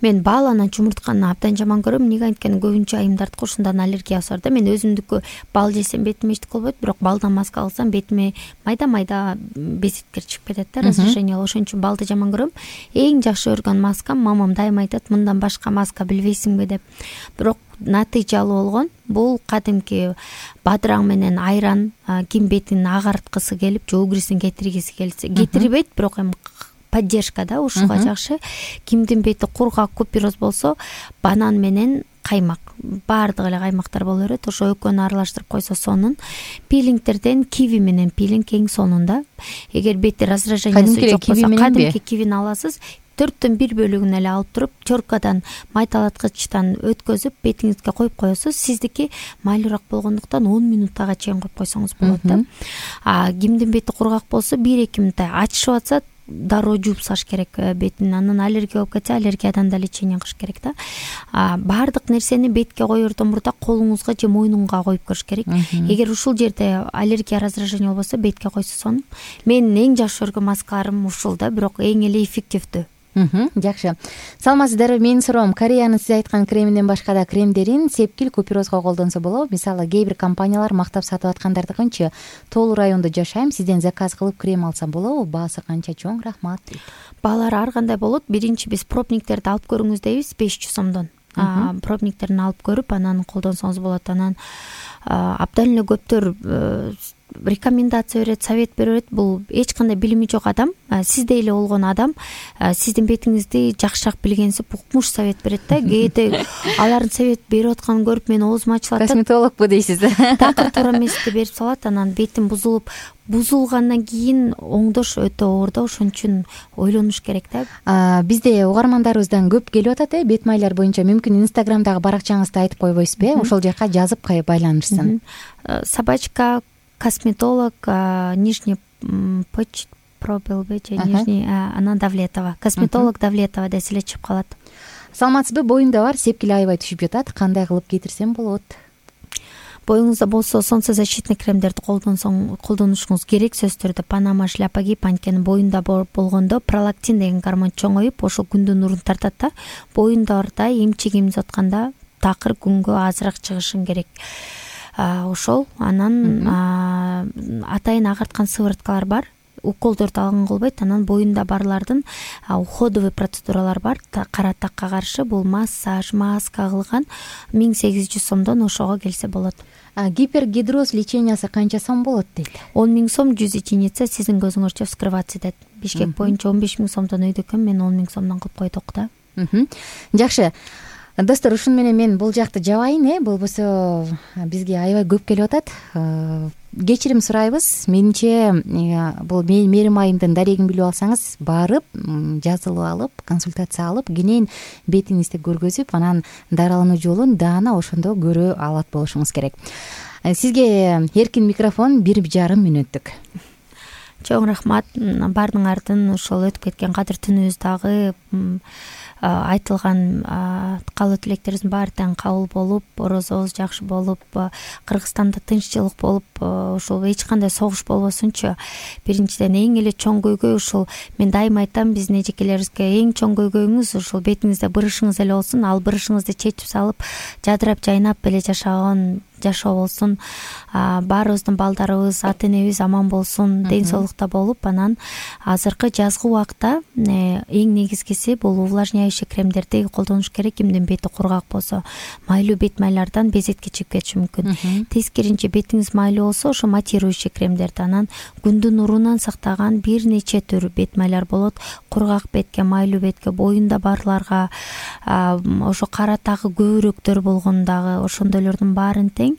Мен бал анан чумуртканы абдан жаман көрөм. Эмнеге анткени көбүнчө айымдардыкы ушундан аллергиясы бар да. Мен өзүмдүкү бал жесем бетиме эчтеке болбойт, бирок балдан маска алсам бетиме майда-майда безиткер чыгып кетет да, раздражение. Ошон үчүн балды жаман көрөм. Эң жакшы өргөн маскам, мамам дайыма айтат, мындан башка маска билбейсиңби деп. Бирок натыйжалуу болгон бул кадимки бадыраң менен айран, ким бетин агарткысы келип, же угрисин кетиргиси келсе, кетирбейт, бирок эми поддержка да, ушуга жакшы. Кимдин бети кургак, купироз болсо, банан менен каймак, баардык эле каймактар боло берет. Ошо экөөнү аралаштырып койсо сонун. Пилингтерден киви менен пилинг эң сонун да. Эгер бетти раздражениясы жок болсо, кадимки кивини аласыз, төрттөн бир бөлүгүн эле алып туруп, чоркадан майталаткычтан өткөзүп, бетиңизге коюп коесуз. Сиздики майлуураак болгондуктан он минуттага чейин коюп койсоңуз болот да. А кимдин бети кургак болсо, бир эки минутта ачышып атса, дароо жууп салыш керек бетин. Анан аллергия болуп кетсе, аллергиядан да лечение кылыш керек да. Баардык нерсени бетке коердон мурда колуңузга же мойнуңга коюп көрүш керек. Эгер ушул жерде аллергия, раздражение болбосо, бетке койсо сонун. Менин эң жакшы өргөн маскаларым ушул да, бирок эң эле эффективдүү. Жакшы. Саламатсыздарбы? Менин суроом, Кореянын сиз айткан креминен башка да кремдерин сепкил, купирозго колдонсо болобу? Мисалы, кээ бир компаниялар мактап сатып аткандардыкынчы Тоолу райондо жашайм, сизден заказ кылып крем алсам болобу? Баасы канча? Чоң рахмат. Баалары ар кандай болот. Биринчи биз пробниктерди алып көрүңүз дейбиз, беш жүз сомдон. Пробниктерин алып көрүп, анан колдонсоңуз болот. Анан абдан эле көптөр рекомендация берет, совет берет. Бул эч кандай билими жок адам, сиздей эле болгон адам, сиздин бетиңизди жакшыраак билгенсип укмуш совет берет да. Кээде алардын совет берип атканын көрүп мен оозум ачылат да. Косметологбу дейсиз? Такыр туура эмести берип салат, анан бетим бузулуп, бузулгандан кийин оңдош өтө оор да. Ошон үчүн ойлонуш керек да. Бизде угармандарыбыздан көп келип атат, э, бет майлар боюнча. Мүмкүн Инстаграмдагы баракчаңызды айтып койбойсузбу, э? Ошол жака жазып байланышсын. Собачка косметолог, нижний почт пробелбе же нижний, анан Давлетова. Косметолог Давлетова десе эле чыгып калат. Саламатсызбы? Боюмда бар, сепкил аябай түшүп жатат. Кандай кылып кетирсем болот? Боюңузда болсо солнцезащитный кремдерди колдонсоң, колдонушуңуз керек. Сөзсүз түрдө Панама шляпа кийип, анткени боюнда болгондо пролактин деген гормон чоңоюп, ошол күндүн нурун тартат да. Боюндарда эмчек эмизип атканда такыр күнгө азыраак чыгышың керек. Ошол анан атайын агарткан сывороткалар бар. Уколдорду алган болбойт. Анан боюнда барлардын уходовый процедуралар бар. Кара такка каршы бул массаж, маска кылган миң сегиз жүз сомдон ошого келсе болот. Гипергидроз лечениясы канча сом болот дейт? он миң сом жүз единица сиздин көзүңөрчө вскрываться дейт. Бишкек боюнча он беш миң сомдон өйдө экен, мен он миң сомдон кылып койдук да. Жакшы. Достор, ушун менен мен бул жакты жабайын, э, болбосо бизге аябай көп келип атат. Кечирим сурайбыз. Менимче бул мээрим айымдын дарегин билип алсаңыз, барып, жазылып алып, консультация алып, кенен бетиңизди көргөзүп, анан дарылануу жолун даана ошондо көрө алат болушуңуз керек. Сизге эркин микрофон бир жарым мүнөттүк. Чоң рахмат. Бардын артын ошол өтүп кеткен кадыр түнүбүздагы айтылган каалоо тилектерибиздин баары тең кабыл болуп, орозобуз жакшы болуп, Кыргызстанда тынччылык болуп, ошол эч кандай согуш болбосунчу. Биринчиден эң эле чоң көйгөй ушул. Мен дайыма айтам биздин эжекелерибизге, эң чоң көйгөйүңүз ушул бетиңизде бырышыңыз эле болсун. Ал бырышыңызды чечип салып, жадырап, жайнап эле жашаган жашоо болсун, баарыбыздын балдарыбыз, ата энебиз аман болсун, ден соолукта болуп, анан азыркы жазгы убакта эң негизгиси бул увлажняющий кремдерди колдонуш керек. Кимдин бети кургак болсо, майлуу бет майлардан безетке чыгып кетиши мүмкүн. Тескеринче бетиңиз майлуу болсо, ошо матирующий кремдерди, анан күндүн нурунан сактаган бир нече түр бет майлар болот. Кургак бетке, майлуу бетке, боюнда барларга, ошо кара тагы көбүрөөктөр болгон дагы ошондойлордун баарын тең.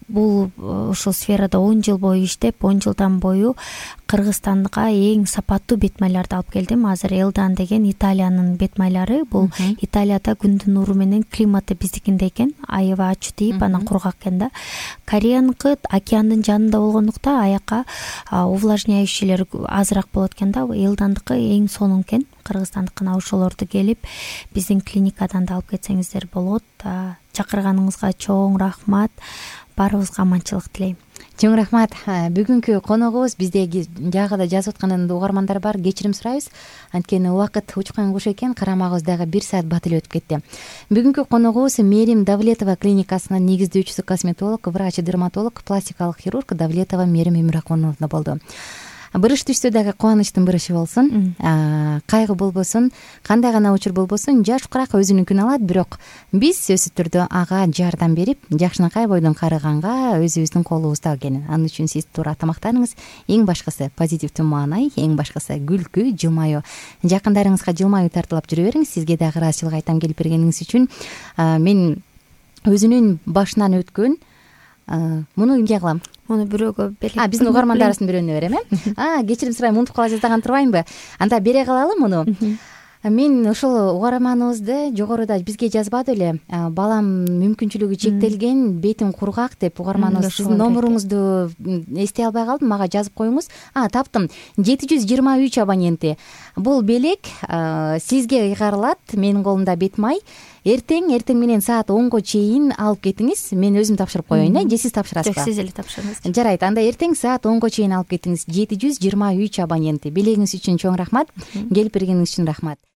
Бул ушул сферада он жыл бою иштеп, он жылдан бою Кыргызстанга эң сапаттуу бет майларды алып келдим. Азыр Элдан деген Италиянын бет майлары. Бул Италияда күндүн нуру менен климаты биздикиндей экен, аябай ачуу тийип, анан кургак экен да. Кореяныкы океандын жанында болгондуктан аяка увлажняющийлер азыраак болот экен да. Элдандыкы эң сонун экен. Кыргызстандыкына ошолорду келип биздин клиникадан да алып кетсеңиздер болот. Чакырганыңызга чоң рахмат. Баарыбызга аманчылык тилейм. Чоң рахмат. Бүгүнкү коногубуз биздеги жагыда жазып аткан угармандар бар, кечирим сурайбыз. Анткени убакыт учкан куш экен, карамагыбыз дагы бир саат бат эле өтүп кетти. Бүгүнкү коногубуз Мерим Давлетова клиникасынын негиздөөчүсү, косметолог, врач-дерматолог, пластикалык хирург Давлетова Мерим Эмирахуновна болду. Бырыш түштө дагы кубанычтын бырышы болсун, кайгы болбосун, кандай гана учур болбосун, жаш курак өзүнүнкүн алат, бирок биз сөзсүз түрдө ага жардам берип, жакшынакай бойдон карыганга өзүбүздүн колубузда экен. Анын үчүн сиз туура тамактаныңыз. Эң башкысы позитивдүү маанай, эң башкысы күлкү, жылмаюу. Жакындарыңызга жылмаюу тартуулап жүрө бериңиз. Сизге дагы ыраазычылык айтам келип бергениңиз үчүн. Мен өзүнүн башынан өткөн муну эмне кылам? Муну бирөөгө бере. А, биздин угармандарыбыздын бирөөнө берем, э? А, кечирим сурайм, унутуп кала жаздаган турбаймынбы? Анда бере калалы муну. Мен ошол угарманыбызды жогоруда бизге жазбады эле. Балам мүмкүнчүлүгү чектелген, бетим кургак деп угарманыбыз. Сиздин номуруңузду эстей албай калдым, мага жазып коюңуз. А, таптым. жети жүз жыйырма үч абоненти. Бул белек сизге ыйгарылат. Менин колумда бет май. Эртең, эртең менен саат онго чейин алып кетиңиз. Мен өзүм тапшырып коеюн, э? Же сиз тапшырасызбы? Жок, сиз эле тапшырыңыз. Жарайт, анда эртең саат онго чейин алып кетиңиз. жети жүз жыйырма үч абоненти. Белегиңиз үчүн чоң рахмат. Келип бергениңиз үчүн рахмат.